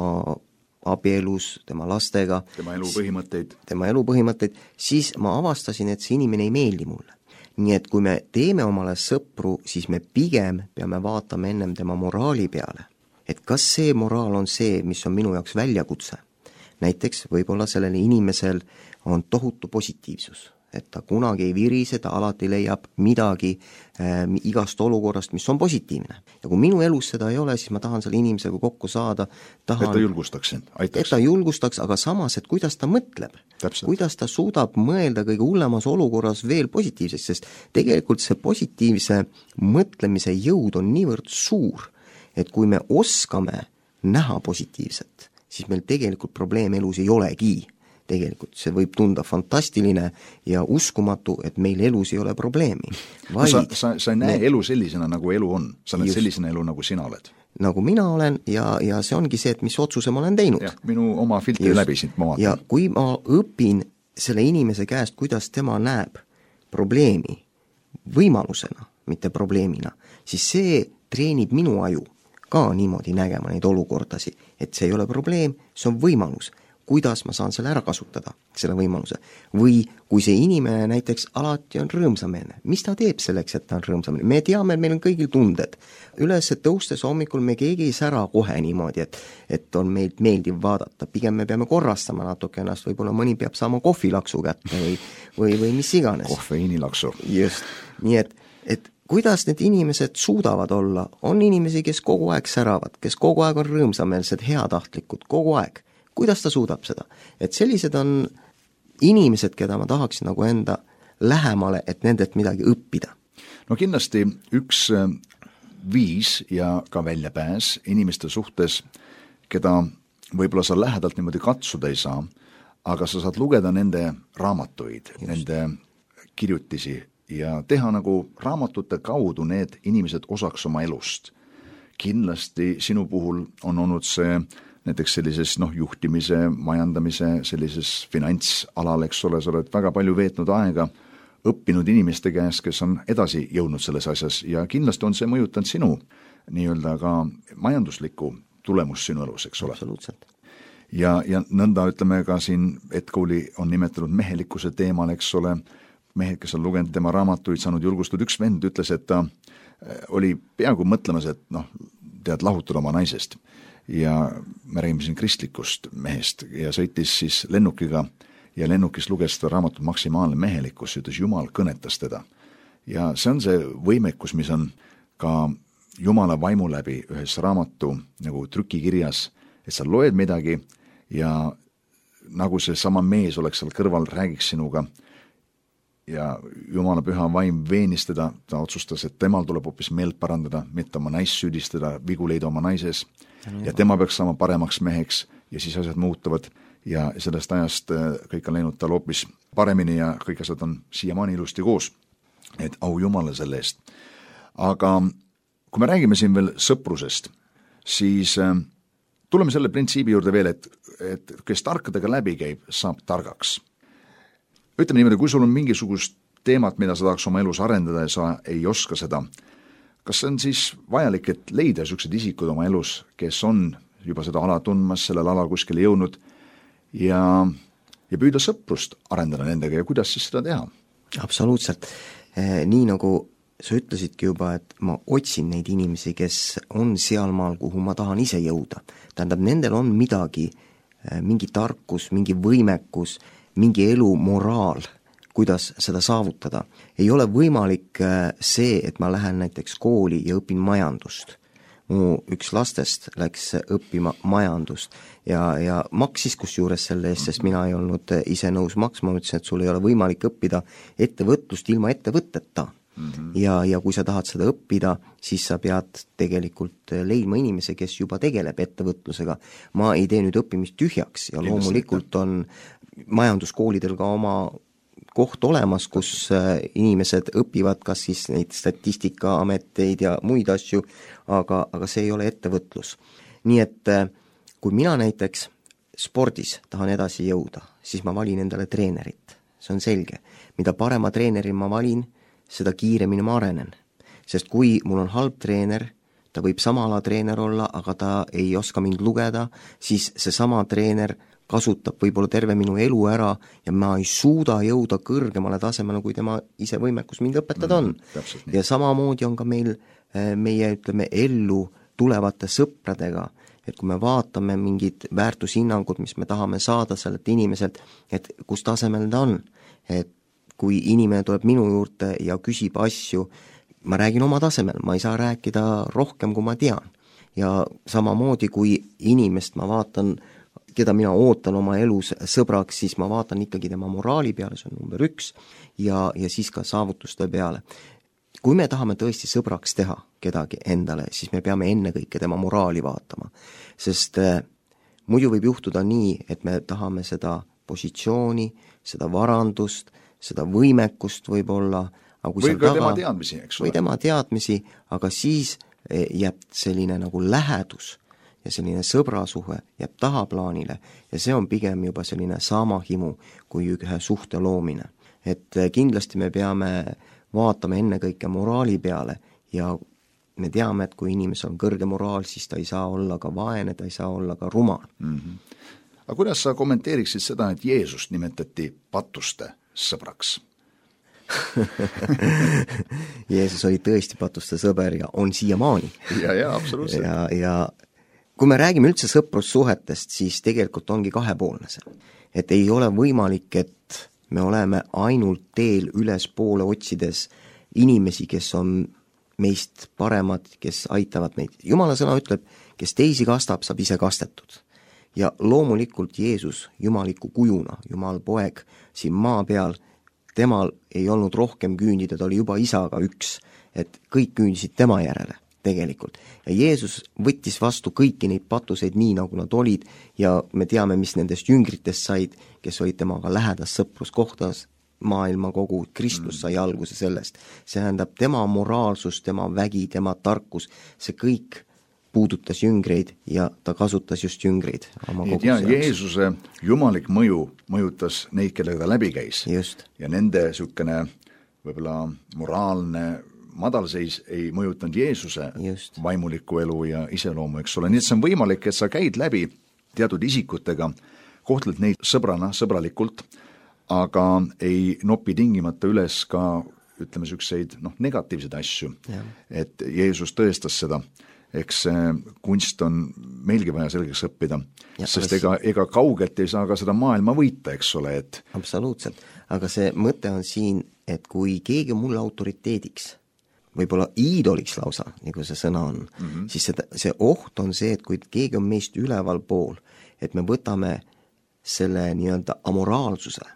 S4: abielus, tema lastega,
S3: tema
S4: elupõhimõtteid, siis ma avastasin, et see inimene ei meeldi mulle. Nii et kui me teeme omale sõpru, siis me pigem peame vaatama ennem tema moraali peale, et kas see moraal on see, mis on minu jaoks väljakutse. Näiteks võib-olla sellel inimesel on tohutu positiivsus, et ta kunagi ei virise, ta alati leiab midagi igast olukorrast, mis on positiivne. Ja kui minu elus seda ei ole, siis ma tahan selle inimesega kokku saada.
S3: Et ta julgustaks sind, aitaks.
S4: Et ta julgustaks, aga samas, et kuidas ta mõtleb. Täpselt. Kuidas ta suudab mõelda kõige hullemas olukorras veel positiivseks, sest tegelikult see positiivse mõtlemise jõud on niivõrd suur, et kui me oskame näha positiivset, siis meil tegelikult probleem elus ei olegi. Tegelikult see võib tunda fantastiline ja uskumatu, et meil elus ei ole probleemi.
S3: Sa ei näe elu sellisena, nagu elu on. Sa oled sellisena elu, nagu sina oled.
S4: Nagu mina olen ja see ongi see, et mis otsuse ma olen teinud.
S3: Ja, minu oma filtri läbi sind ma vaatan.
S4: Ja kui ma õpin selle inimese käest, kuidas tema näeb probleemi võimalusena, mitte probleemina, siis see treenib minu aju ka niimoodi nägema neid olukordasid, et see ei ole probleem, see on võimalus. Kuidas ma saan selle ära kasutada, selle võimaluse. Või kui see inimene näiteks alati on rõõmsameelne, mis ta teeb selleks, et ta on rõõmsameelne? Me teame, et meil on kõigil tunded. Üles tõustes hommikul me keegi ei sära kohe niimoodi, et on meilt meeldiv vaadata. Pigem me peame korrastama natuke ennast, võib-olla mõni peab saama kohvilaksu kätte või mis iganes.
S3: Kofeiinilaksu.
S4: Just, nii et kuidas need inimesed suudavad olla? On inimesi, kes kogu aeg säravad, kes kogu aeg on rõõmsameelsed, heatahtlikud, kogu aeg. Kuidas ta suudab seda? Et sellised on inimesed, keda ma tahaksin nagu enda lähemale, et nendelt midagi õppida.
S3: No kindlasti üks viis ja ka väljapääs inimeste suhtes, keda võib-olla sa lähedalt niimoodi katsuda ei saa, aga sa saad lugeda nende raamatuid, nende kirjutisi ja teha nagu raamatute kaudu need inimesed osaks oma elust. Kindlasti sinu puhul on olnud see näiteks sellises juhtimise, majandamise, sellises finantsalal, eks ole, sa oled väga palju veetnud aega õppinud inimeste käes, kes on edasi jõudnud selles asjas ja kindlasti on see mõjutanud sinu nii-öelda ka majanduslikku tulemust sinu elus, eks ole.
S4: Absoluutselt.
S3: Ja nõnda ütleme ka siin Edkooli on nimetanud mehelikkuse teemal, eks ole, mehed, kes on lugenud tema raamatuid, saanud julgustud. Üks vend ütles, et ta oli peaaegu mõtlemas, et tead lahutada oma naisest ja me räägime siin kristlikust mehest ja sõitis siis lennukiga ja lennukis luges seda raamatut Maksimaalne mehelikkus, ütles Jumal kõnetas teda. Ja see on see võimekus, mis on ka Jumala vaimu läbi ühes raamatu nagu trükikirjas, et sa loed midagi ja nagu see sama mees oleks seal kõrval, räägiks sinuga ja Jumala püha vaim veenis teda, ta otsustas, et temal tuleb hoopis meelt parandada, mitte oma naist süüdistada, vigu leida oma naises ja tema peaks saama paremaks meheks ja siis asjad muutuvad ja sellest ajast kõik on läinud tal hoopis paremini ja kõik asjad on siiamaani ilusti koos. Et au Jumala selle eest. Aga kui me räägime siin veel sõprusest, siis tuleme selle printsiibi juurde veel, et kes tarkadega läbi käib, saab targaks. Ütleme niimoodi, kui sul on mingisugust teemat, mida sa tahaks oma elus arendada ja sa ei oska seda, kas see on siis vajalik, et leida sellised isikud oma elus, kes on juba seda ala tundmas, sellel alal kuskile jõudnud ja püüda sõprust arendada nendega ja kuidas siis seda teha?
S4: Absoluutselt. Nii nagu sa ütlesidki juba, et ma otsin neid inimesi, kes on sealmaal, kuhu ma tahan ise jõuda. Tähendab, nendel on midagi, mingi tarkus, mingi võimekus, mingi elu moraal, kuidas seda saavutada. Ei ole võimalik see, et ma lähen näiteks kooli ja õpin majandust. Mu üks lastest läks õppima majandust ja maksis kusjuures selle eest, sest mina ei olnud ise nõus maksma, ma ütlesin, et sul ei ole võimalik õppida ettevõtlust ilma ettevõtteta. Ja kui sa tahad seda õppida, siis sa pead tegelikult leidma inimese, kes juba tegeleb ettevõtlusega. Ma ei tee nüüd õppimist tühjaks ja loomulikult on majanduskoolidel ka oma koht olemas, kus inimesed õpivad kas siis neid statistikaameteid ja muid asju, aga see ei ole ettevõtlus. Nii et kui mina näiteks spordis tahan edasi jõuda, siis ma valin endale treenerit. See on selge. Mida parema treeneri ma valin, seda kiiremini ma arenen. Sest kui mul on halb treener, ta võib sama ala treener olla, aga ta ei oska mind lugeda, siis see sama treener kasutab võib-olla terve minu elu ära ja ma ei suuda jõuda kõrgemale tasemele, kui tema ise võimekus mind õpetada on. Ja samamoodi on ka meie ütleme, ellu tulevate sõpradega, et kui me vaatame mingid väärtushinnangud, mis me tahame saada sellelt inimeselt, et kus tasemel ta on, et kui inimene tuleb minu juurde ja küsib asju, ma räägin oma tasemel, ma ei saa rääkida rohkem, kui ma tean. Ja samamoodi, kui inimest ma vaatan, keda mina ootan oma elus sõbraks, siis ma vaatan ikkagi tema moraali peale, see on number 1, ja siis ka saavutuste peale. Kui me tahame tõesti sõbraks teha kedagi endale, siis me peame ennekõike tema moraali vaatama. Sest muidu võib juhtuda nii, et me tahame seda positsiooni, seda varandust, seda võimekust võib-olla,
S3: või ka tema teadmisi, eks ole.
S4: Või tema teadmisi, aga siis jääb selline nagu lähedus ja selline sõbrasuhe jääb tahaplaanile ja see on pigem juba selline sama himu kui ühe suhte loomine. Et kindlasti me peame vaatama ennekõike moraali peale ja me teame, et kui inimesel on kõrge moraal, siis ta ei saa olla ka vaene, ta ei saa olla ka rumal.
S3: Aga kuidas sa kommenteeriksid seda, et Jeesust nimetati patuste sõbraks?
S4: Jeesus oli tõesti patuste sõber ja on siiamaani.
S3: Ja, absoluutselt.
S4: Ja kui me räägime üldse sõprussuhetest, siis tegelikult ongi kahepoolne see. Et ei ole võimalik, et me oleme ainult teel ülespoole otsides inimesi, kes on meist paremad, kes aitavad meid. Jumala sõna ütleb, kes teisi kastab, saab ise kastetud. Ja loomulikult Jeesus jumaliku kujuna, Jumal poeg siin maa peal, temal ei olnud rohkem küündida, ta oli juba isaga üks, et kõik küündisid tema järele tegelikult. Ja Jeesus võttis vastu kõiki neid patuseid nii, nagu nad olid ja me teame, mis nendest jüngritest said, kes olid temaga lähedas sõpruskohtas, maailma kogu, Kristus sai alguse sellest. See tähendab tema moraalsus, tema vägi, tema tarkus, see kõik puudutas jüngreid ja ta kasutas just jüngreid oma
S3: koguse jaoks. Jeesuse jumalik mõju mõjutas neid, kellega ta läbi käis.
S4: Just.
S3: Ja nende sükene võib-olla moraalne madalseis ei mõjutanud Jeesuse
S4: just.
S3: Vaimulikku elu ja iseloomu, eks ole. Nii et see on võimalik, et sa käid läbi teatud isikutega, kohtled neid sõbrana, sõbralikult, aga ei nopi tingimata üles ka, ütleme, sükseid negatiivseid asju.
S4: Ja.
S3: Et Jeesus tõestas seda. Eks kunst on meilgi vaja selgeks õppida, ja, sest ega kaugelt ei saa ka seda maailma võita, eks ole. Et...
S4: Absoluutselt, aga see mõte on siin, et kui keegi on mulle autoriteediks, võib-olla iidoliks lausa, nagu see sõna on, siis see oht on see, et kui keegi on meist üleval pool, et me võtame selle nii-öelda amoraalsuse,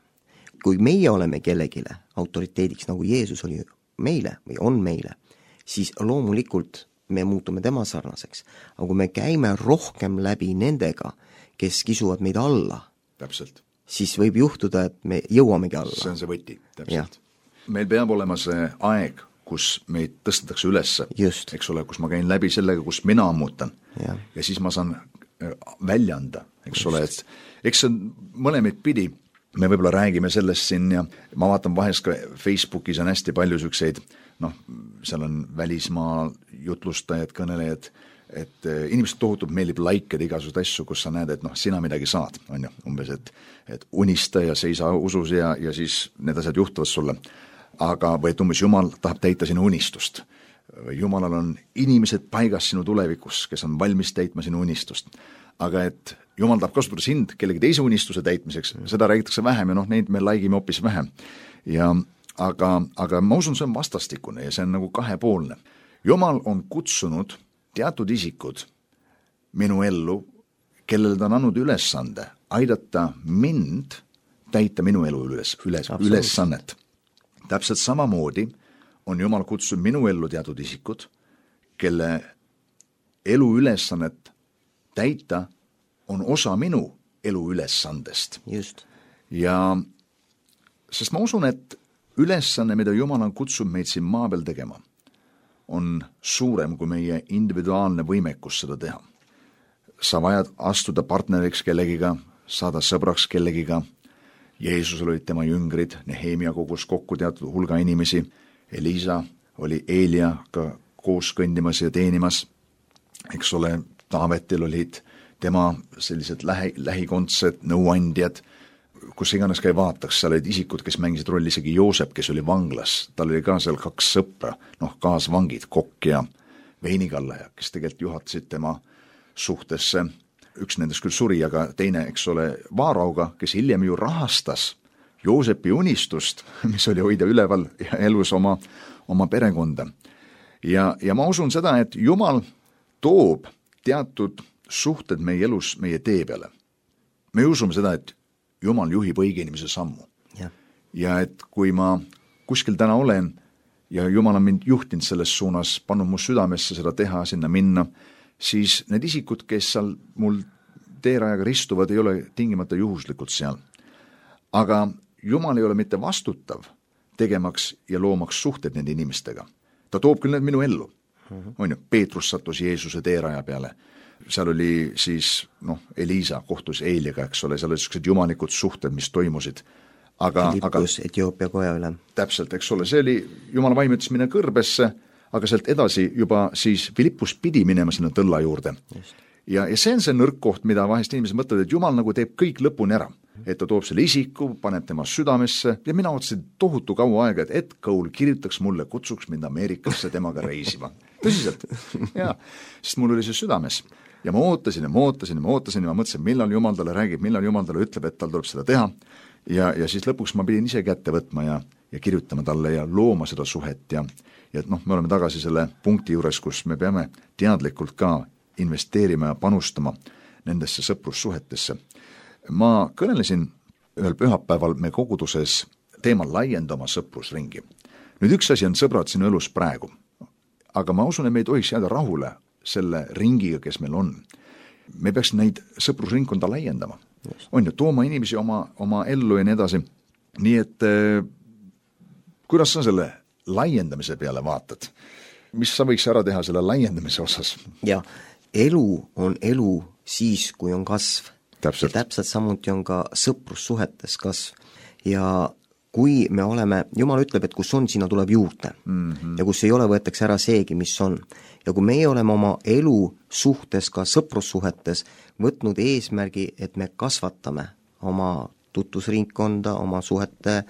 S4: kui meie oleme kellegile autoriteediks, nagu Jeesus oli meile või on meile, siis loomulikult me muutume tema sarnaseks. Aga kui me käime rohkem läbi nendega, kes kisuvad meid alla,
S3: täpselt.
S4: Siis võib juhtuda, et me jõuamegi alla.
S3: See on see võti, täpselt. Meil peab olema see aeg, kus meid tõstetakse ülesse,
S4: just.
S3: Eks ole, kus ma käin läbi sellega, kus mina ammutan
S4: ja
S3: siis ma saan välja anda, eks just. Ole, et eks see mõlemeid pidi, me võib-olla räägime sellest siin ja ma vaatan vahest ka Facebookis on hästi palju sükseid, seal on välismaa jutlustajad, kõnelejad, et inimesed tohutult meeldib laikida igasugused asju, kus sa näed, et sina midagi saad, on ju, umbes, et unista ja seisa usus ja siis need asjad juhtuvad sulle. Aga või et umbes Jumal tahab täita sinu unistust. Jumalal on inimesed paigas sinu tulevikus, kes on valmis täitma sinu unistust. Aga et Jumal tahab kasutada sind kellegi teise unistuse täitmiseks, seda räägitakse vähem ja neid me laikime hoopis vähem. Aga ma usun, see on vastastikune ja see on nagu kahepoolne. Jumal on kutsunud teatud isikud minu ellu, kellele ta on andnud ülesande aidata mind täita minu elu ülesannet. Täpselt samamoodi on Jumal kutsunud minu ellu teatud isikud, kelle elu ülesannet täita on osa minu elu ülesandest.
S4: Just.
S3: Ja sest ma usun, et ülesanne, mida Jumal on kutsunud meid siin maa peal tegema, on suurem kui meie individuaalne võimekus seda teha. Sa vajad astuda partneriks kellegiga, saada sõbraks kellegiga. Jeesusel olid tema jüngrid, Nehemia kogus kokku teatud hulga inimesi, Elisa oli Eeliaga koos kõndimas ja teenimas, eks ole, Taavetil olid tema sellised lähikondsed nõuandjad, kus iganes ka ei vaataks, seal olid isikud, kes mängisid rolli, isegi Joosep, kes oli vanglas, tal oli ka seal 2 sõpra, kaasvangid, kokk ja veinikallaja, kes tegelikult juhatasid tema suhtesse. Üks nendest küll suri, aga teine, eks ole, Vaarauga, kes hiljem ju rahastas Joosepi unistust, mis oli hoida üleval ja elus oma perekonda. Ja ma usun seda, et Jumal toob teatud suhted meie elus meie tee peale. Me usume seda, et Jumal juhib õige inimese sammu. Ja et kui ma kuskil täna olen ja Jumal on mind juhtinud selles suunas, pannud mu südamesse seda teha, sinna minna, siis need isikud, kes seal mul teerajaga ristuvad, ei ole tingimata juhuslikult seal. Aga Jumal ei ole mitte vastutav tegemaks ja loomaks suhted nende inimestega. Ta toob küll need minu ellu. On ju, Peetrus sattus Jeesuse teeraja peale. Seal oli siis, Elisa kohtus Eeliaga, eks ole, seal oli sellised jumalikud suhted, mis toimusid.
S4: Filippus, Etioopia koja üle.
S3: Täpselt, eks ole, see oli, Jumala vaim ütles minna kõrbesse, aga sealt edasi juba siis Filippus pidi minema sinna tõlla juurde. Ja see on see nõrk koht, mida vahest inimesed mõtlevad, et Jumal nagu teeb kõik lõpuni ära. Et ta toob selle isiku, paneb tema südamesse ja mina ootasin tohutu kaua aega, et Cole kirjutaks mulle, kutsuks mind Ameerikasse temaga reisima. Tõsiselt. Ja, sest mul oli see südames. Ja ma ootasin ja ma mõtlesin, millal Jumal talle räägib, millal Jumal talle ütleb, et tal tuleb seda teha. Ja siis lõpuks ma pidin ise kätte võtma ja kirjutama talle ja looma seda suhet ja me oleme tagasi selle punkti juures, kus me peame teadlikult ka investeerima ja panustama nendesse sõprussuhetesse. Ma kõnelesin ühel pühapäeval me koguduses teema laienda oma sõprusringi. Nüüd üks asi on sõbrad sinu elus praegu, aga ma usun, et me ei tohiks jääda rahule selle ringiga, kes meil on. Me peaks neid sõprusringkonda laiendama. On ju, tooma inimesi oma ellu ja nii edasi. Nii et kuidas sa selle laiendamise peale vaatad? Mis sa võiks ära teha selle laiendamise osas?
S4: Ja, elu on elu siis, kui on kasv.
S3: Täpselt.
S4: Ja täpselt samuti on ka sõprussuhetes kasv. Ja kui me oleme, Jumal ütleb, et kus on, sinna tuleb juurde. Ja kus ei ole, võetakse ära seegi, mis on. Ja kui meie oleme oma elu suhtes, ka sõprussuhetes, võtnud eesmärgi, et me kasvatame oma tutvusringkonda, oma suhete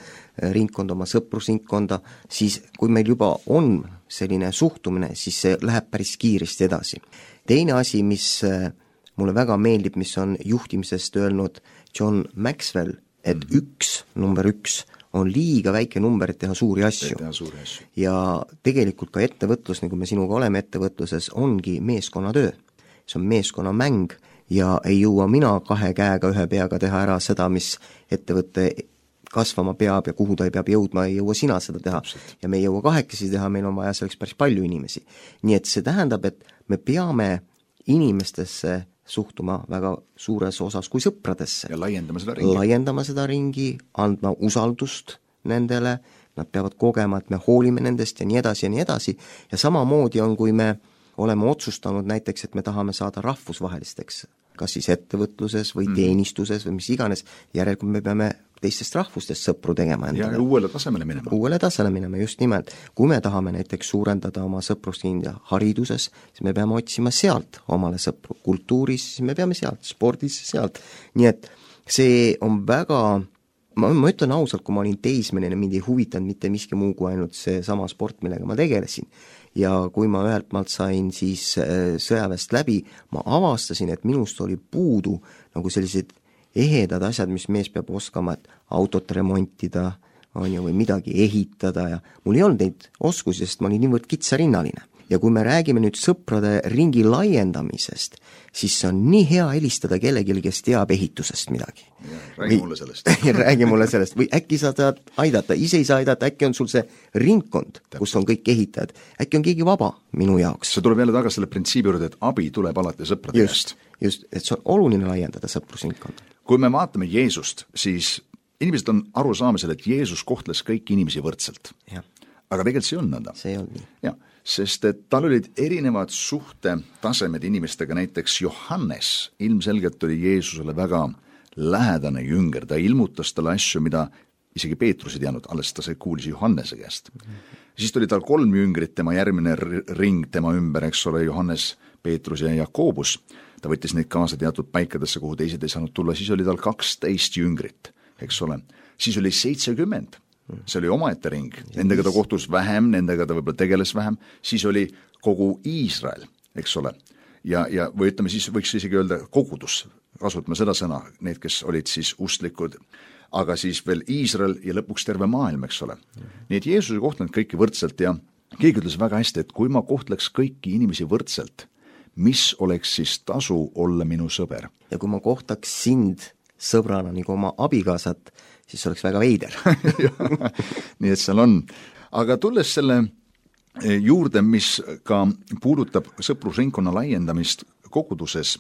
S4: ringkonda, oma sõprusringkonda, siis kui meil juba on selline suhtumine, siis see läheb päris kiiresti edasi. Teine asi, mis mulle väga meeldib, mis on juhtimisest öelnud John Maxwell, et number üks on liiga väike number, et teha suuri asju. Ja tegelikult ka ettevõtlus, nagu me sinuga oleme ettevõtluses, ongi meeskonnatöö. See on meeskonnamäng ja ei jõua mina 2 käega 1 peaga teha ära seda, mis ettevõtte kasvama peab ja kuhu ta ei peab jõudma, ei jõua sina seda teha. Ja me ei jõua 2 teha, meil on vaja selleks päris palju inimesi. Nii et see tähendab, et me peame inimestesse suhtuma väga suures osas kui sõpradesse.
S3: Ja laiendama seda
S4: ringi, andma usaldust nendele, nad peavad kogema, et me hoolime nendest ja nii edasi ja nii edasi. Ja samamoodi on, kui me oleme otsustanud näiteks, et me tahame saada rahvusvahelisteks, kas siis ettevõtluses või teenistuses või mis iganes, järelikult me peame teistest rahvustest sõpru tegema endale.
S3: Ja uuele tasemele minema.
S4: Uuele tasemele minema, just nimelt. Kui me tahame näiteks suurendada oma sõprusrinda hariduses, siis me peame otsima sealt omale sõpru. Kultuuris, siis me peame sealt, spordis sealt. Nii et see on väga, ma ütlen ausalt, kui ma olin teismeline, mind ei huvitanud mitte miski muu kui ainult see sama sport, millega ma tegelesin. Ja kui ma ühelt maalt sain siis sõjaväest läbi, ma avastasin, et minust oli puudu nagu sellised ehedad asjad, mis mees peab oskama, et autot remontida on ju, või midagi ehitada ja mul ei olnud neid oskusi, sest ma olin niivõrd kitsarinnaline. Ja kui me räägime nüüd sõprade ringi laiendamisest, siis see on nii hea helistada kellelegi, kes teab ehitusest midagi.
S3: Räägi mulle sellest.
S4: Räägi mulle sellest. Või äkki sa tahad aidata, ise ei saa aidata, äkki on sul see ringkond, kus on kõik ehitajad. Äkki on keegi vaba minu jaoks.
S3: See tuleb jälle tagasi selle printsiibi juurde, et abi tuleb alati sõprade käest.
S4: Just, et see on oluline laiendada sõprusringkonda.
S3: Kui me vaatame Jeesust, siis inimesed on aru saamisel, et Jeesus kohtles kõiki inimesi võrdselt.
S4: Ja.
S3: Aga tegelikult see on nõnda.
S4: See on nii.
S3: Ja, sest et tal olid erinevad suhtetasemed inimestega, näiteks Johannes ilmselgelt oli Jeesusele väga lähedane jünger, ta ilmutas talle asju, mida isegi Peetrus ei teadnud, alles ta kuulis Johannese käest. Siis tuli tal 3 jüngrit, tema järgmine ring tema ümber, eks ole, Johannes, Peetrus ja Jakobus. Ta võttis neid kaasa teatud paikadesse, kuhu teised ei saanud tulla, siis oli tal 12 jüngrit, eks ole. Siis oli 70, see oli omaette ring, nendega ta kohtus vähem, nendega ta võib-olla tegeles vähem, siis oli kogu Iisrael, eks ole. Ja või ütleme, siis võiks isegi öelda kogudus, kasutame seda sõna, need, kes olid siis ustlikud, aga siis veel Iisrael ja lõpuks terve maailm, eks ole. Nii et Jeesus ei kohtlenud kõiki võrdselt ja keegi ütles väga hästi, et kui ma kohtleks kõiki inimesi võrdselt, mis oleks siis tasu olla minu sõber?
S4: Ja kui ma kohtaks sind sõbrana nagu oma abikaasat, siis oleks väga veider.
S3: Nii et seal on. Aga tulles selle juurde, mis ka puudutab sõprusringkonna laiendamist koguduses,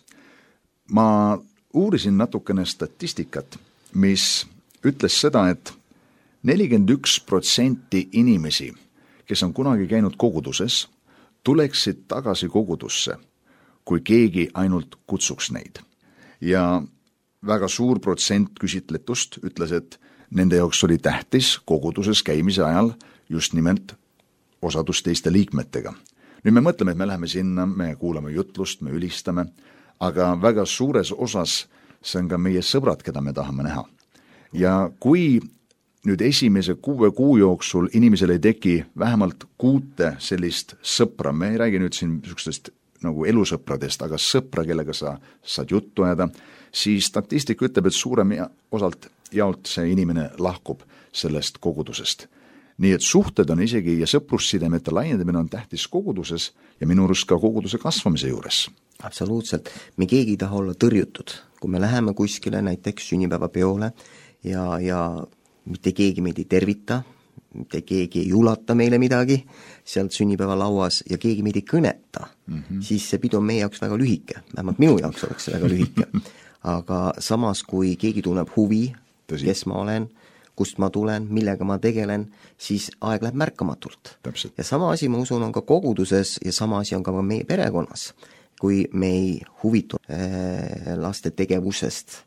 S3: ma uurisin natukene statistikat, mis ütles seda, et 41% inimesi, kes on kunagi käinud koguduses, tuleksid tagasi kogudusse, kui keegi ainult kutsuks neid. Ja väga suur protsent küsitletust ütles, et nende jaoks oli tähtis koguduses käimise ajal just nimelt osadus teiste liikmetega. Nüüd me mõtleme, et me läheme sinna, me kuulame jutlust, me ülistame, aga väga suures osas see on ka meie sõbrad, keda me tahame näha. Ja kui nüüd esimese 6 kuu jooksul inimesel ei teki vähemalt 6 sellist sõpra, me ei räägi nüüd siin niisugustest nagu elusõpradest, aga sõpra, kellega sa saad juttu ajada, siis statistika ütleb, et suurem osalt jaolt see inimene lahkub sellest kogudusest. Nii et suhted on isegi ja sõprussidemete laiendamine on tähtis koguduses ja minu arust ka koguduse kasvamise juures.
S4: Absoluutselt. Me keegi ei taha olla tõrjutud. Kui me läheme kuskile näiteks sünnipäevapeole ja mitte keegi meid ei tervita, mitte keegi ei ulata meile midagi sealt sünnipäevalauas ja keegi meid ei kõneta, siis see pidu on meie jaoks väga lühike, vähemalt minu jaoks oleks see väga lühike. Aga samas, kui keegi tunneb huvi, kes ma olen, kust ma tulen, millega ma tegelen, siis aeg läheb märkamatult.
S3: Täpselt.
S4: Ja sama asi, ma usun, on ka koguduses ja sama asi on ka meie perekonnas, kui me ei huvitu laste tegevusest,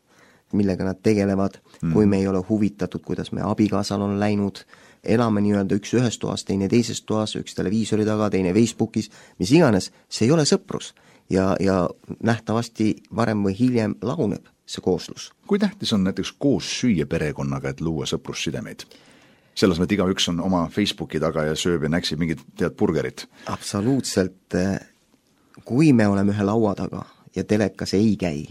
S4: millega nad tegelevad, kui me ei ole huvitatud, kuidas me abikaasal on läinud, elame nii-öelda üks ühes toas, teine teises toas, üks televiisori taga, teine Facebookis, mis iganes, see ei ole sõprus. Ja nähtavasti varem või hiljem laguneb see kooslus.
S3: Kui tähtis on näiteks koos süüa perekonnaga, et luua sõprussidemeid? Selles mõttes igaüks on oma Facebooki taga ja sööb ja näksib mingid burgerit.
S4: Absoluutselt. Kui me oleme ühe laua taga ja telekas ei käi,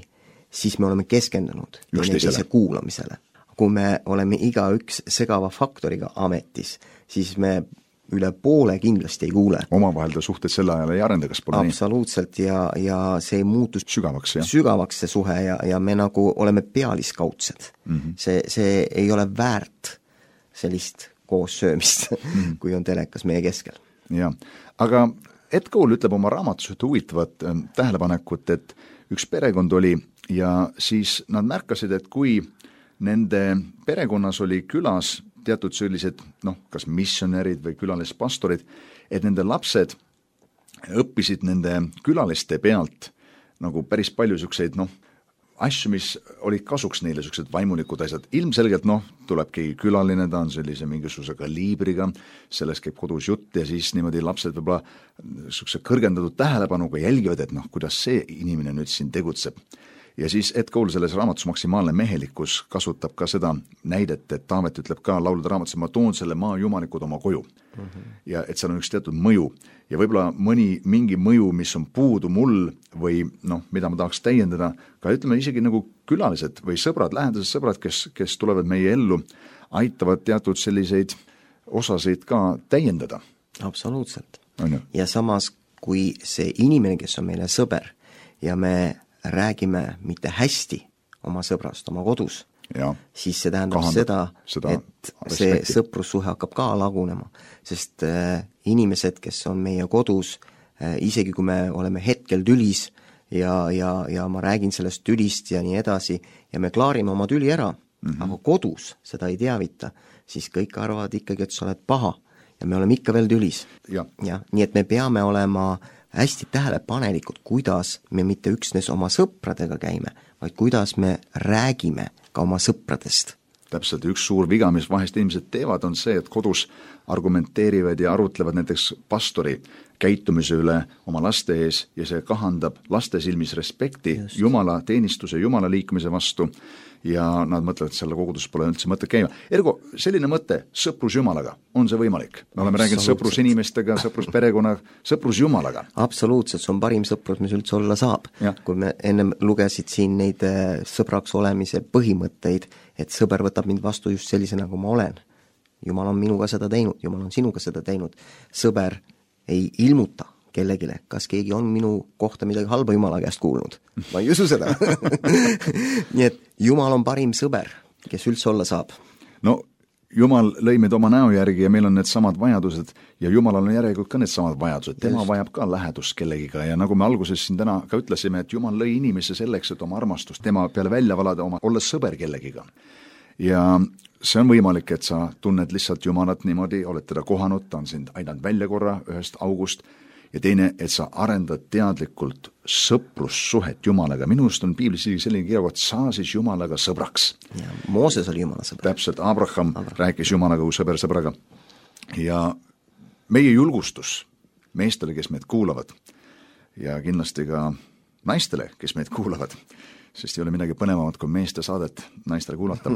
S4: siis me oleme keskendunud teise kuulamisele. Kui me oleme igaüks segava faktoriga ametis, siis me üle poole kindlasti ei kuule.
S3: Omavahel ta suhted selle ajal ei arenda, kas pole nii?
S4: Absoluutselt ja see ei muutu sügavaks see suhe ja me nagu oleme pealiskaudsed. See ei ole väärt sellist koos söömist, kui on telekas meie keskel.
S3: Ja, aga Ed Cole ütleb oma raamatus huvitavat tähelepanekut, et üks perekond oli ja siis nad märkasid, et kui nende perekonnas oli külas teatud sellised, kas missionärid või külalispastorid, et nende lapsed õppisid nende külaliste pealt nagu päris palju selliseid, asju, mis olid kasuks neile, sellised vaimulikud asjad. Ilmselgelt, tuleb keegi külaline, ta on sellise mingisuguse kaliibriga, sellest käib kodus jutt ja siis niimoodi lapsed võib-olla selline kõrgendatud tähelepanuga jälgivad, et kuidas see inimene nüüd siin tegutseb. Ja siis Ed Cole selles raamatus Maksimaalne mehelikkus kasutab ka seda näidet, et Taavet ütleb ka laulude raamatus, et ma toon selle maa jumalikud oma koju. Ja et seal on üks teatud mõju. Ja võib-olla mingi mõju, mis on puudu mul või mida ma tahaks täiendada, ka ütleme isegi nagu külalised või sõbrad, lähedased sõbrad, kes tulevad meie ellu, aitavad teatud selliseid osasid ka täiendada.
S4: Absoluutselt. Ja samas, kui see inimene, kes on meile sõber ja me räägime mitte hästi oma sõbrast oma kodus, siis see tähendab seda, et see sõprussuhe hakkab ka lagunema, sest inimesed, kes on meie kodus, isegi kui me oleme hetkel tülis ja ma räägin sellest tülist ja nii edasi ja me klaarime oma tüli ära, aga kodus seda ei teavita, siis kõik arvavad ikkagi, et sa oled paha ja me oleme ikka veel tülis. Ja, nii et me peame olema hästi tähelepanelikud, kuidas me mitte üksnes oma sõpradega käime, vaid kuidas me räägime ka oma sõpradest.
S3: Täpselt, üks suur viga, mis vahest inimesed teevad, on see, et kodus argumenteerivad ja arutlevad näiteks pastori käitumise üle oma laste ees ja see kahandab laste silmis respekti Jumala teenistuse, Jumala liikumise vastu ja nad mõtlevad, et selle kogudus pole üldse mõte käima. Ergo, selline mõte, sõprus Jumalaga, on see võimalik? Me oleme rääkinud sõprus inimestega, sõprus perekonna, sõprus Jumalaga.
S4: Absoluutselt, see on parim sõprus, mis üldse olla saab. Kui me ennem lugesid siin neid sõbraks olemise põhimõtteid, et sõber võtab mind vastu just sellise, nagu ma olen. Jumal on minuga seda teinud, Jumal on sinuga seda teinud. Sõber ei ilmuta kellegile, kas keegi on minu kohta midagi halba Jumala käest kuulnud. Ma ei usu seda. Nii et Jumal on parim sõber, kes üldse olla saab.
S3: Jumal lõi meid oma näo järgi ja meil on need samad vajadused ja Jumalal on järelikult ka need samad vajadused. Tema vajab ka lähedust kellegiga ja nagu me alguses siin täna ka ütlesime, et Jumal lõi inimese selleks, et oma armastust tema peale välja valada, olla sõber kellegiga. Ja see on võimalik, et sa tunned lihtsalt Jumalat niimoodi, oled teda kohanud, ta on sind aidanud välja korra ühest august ja teine, et sa arendad teadlikult sõprussuhet Jumalaga. Minust on piiblis selline kirjakoht, saa siis Jumalaga sõbraks.
S4: Ja Mooses oli Jumala sõber.
S3: Täpselt, Abraham rääkis Jumalaga kui sõber sõbraga. Ja meie julgustus meestele, kes meid kuulavad ja kindlasti ka naistele, kes meid kuulavad, sest ei ole midagi põnevamat kui meeste saadet naistele kuulata,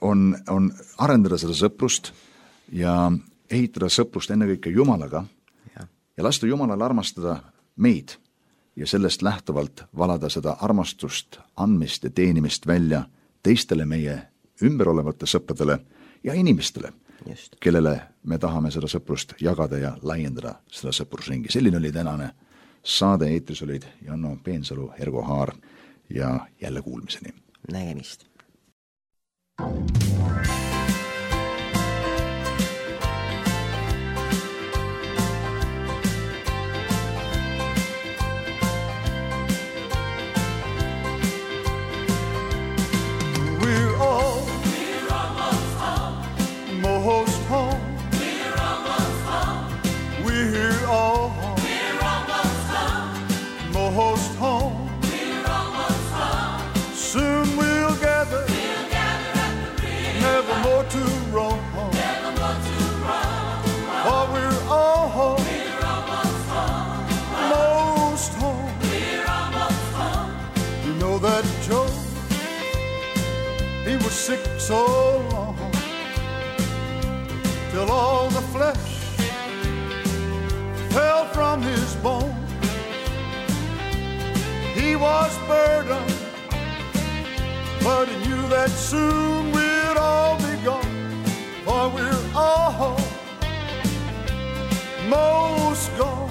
S3: on arendada seda sõprust ja ehitada sõprust ennekõike Jumalaga ja lasta Jumalal armastada meid ja sellest lähtuvalt valada seda armastust, andmist ja teenimist välja teistele meie ümberolevate sõpradele ja inimestele, kellele me tahame seda sõprust jagada ja laiendada seda sõprusringi. Selline oli tänane saade, eetris olid Janno Peensalu, Ergo Haar ja jälle kuulmiseni.
S4: Nägemist.
S5: so long till all the flesh fell from his bone. He was burdened, but he knew that soon we'd all be gone, for we're all most gone.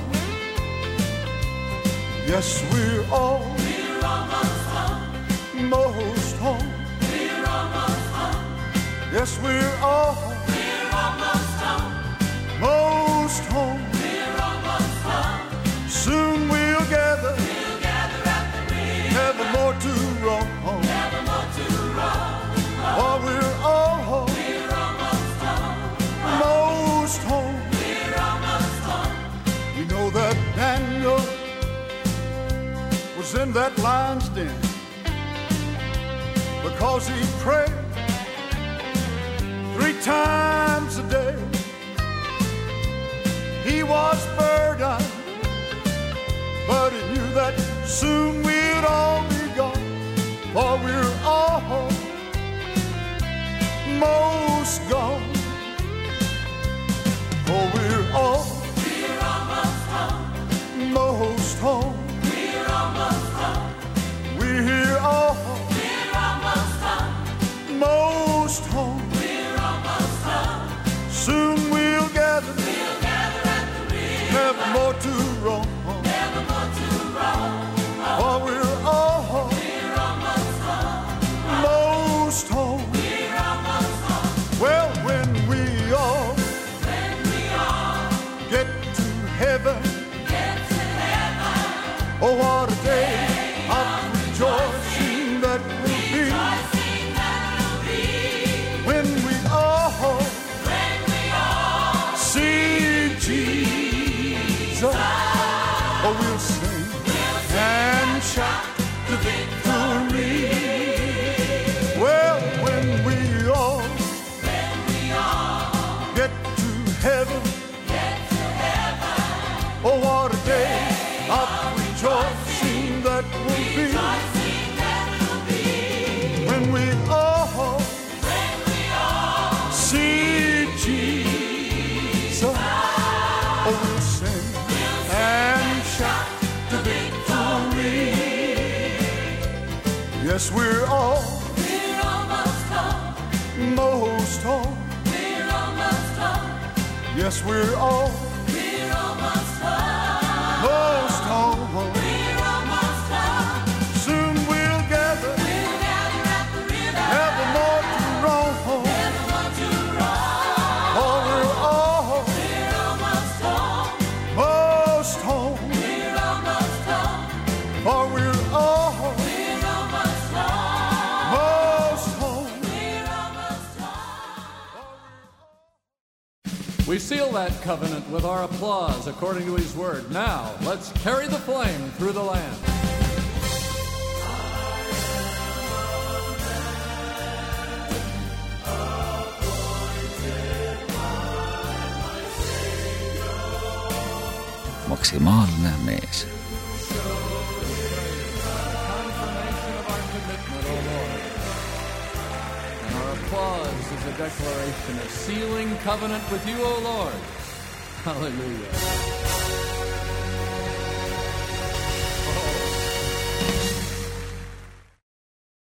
S5: Yes, we're almost home. Most home. We're almost home. Yes, we're almost home. Most home. We're almost home. Soon we'll gather at the river. Never more to roam home. Never more to roam home. For we're almost home. Most home. We're almost home. You know that Daniel was in that lion's den because he prayed 3 times a day. He was burdened, but he knew that soon we'd all be gone, for we're almost gone. For we're almost home. Most home. We're almost home. We're almost home. Most home. We're almost home. Soon we'll gather at the river. Never more to roam home. Never more to roam home. For we're almost home. Most home. We're almost home. Well, when we all get to heaven. Oh, what a day of rejoicing that will be. When we all see Jesus. Oh, we'll sing and shout the victory. Well, when we all get to heaven. Oh, what a day of rejoicing that will be. When we all see Jesus. Oh, we'll sing and shout the victory. Yes, we're almost home. Most home. We're almost home. Yes, we're almost home. Most home. We're almost home. Soon we'll gather at the river. Never more to roam home. Never more to roam. Oh, we're almost home. Most home. We're almost home. For we're almost home. Most home. We're almost home.
S1: We seal that covenant with our applause according to his word. Now, let's carry the flame through the land.
S2: Maksimaalne mees.
S1: Confirmation of our commitment, O Lord. And our applause is a declaration of sealing covenant with you, O Lord. Hallelujah.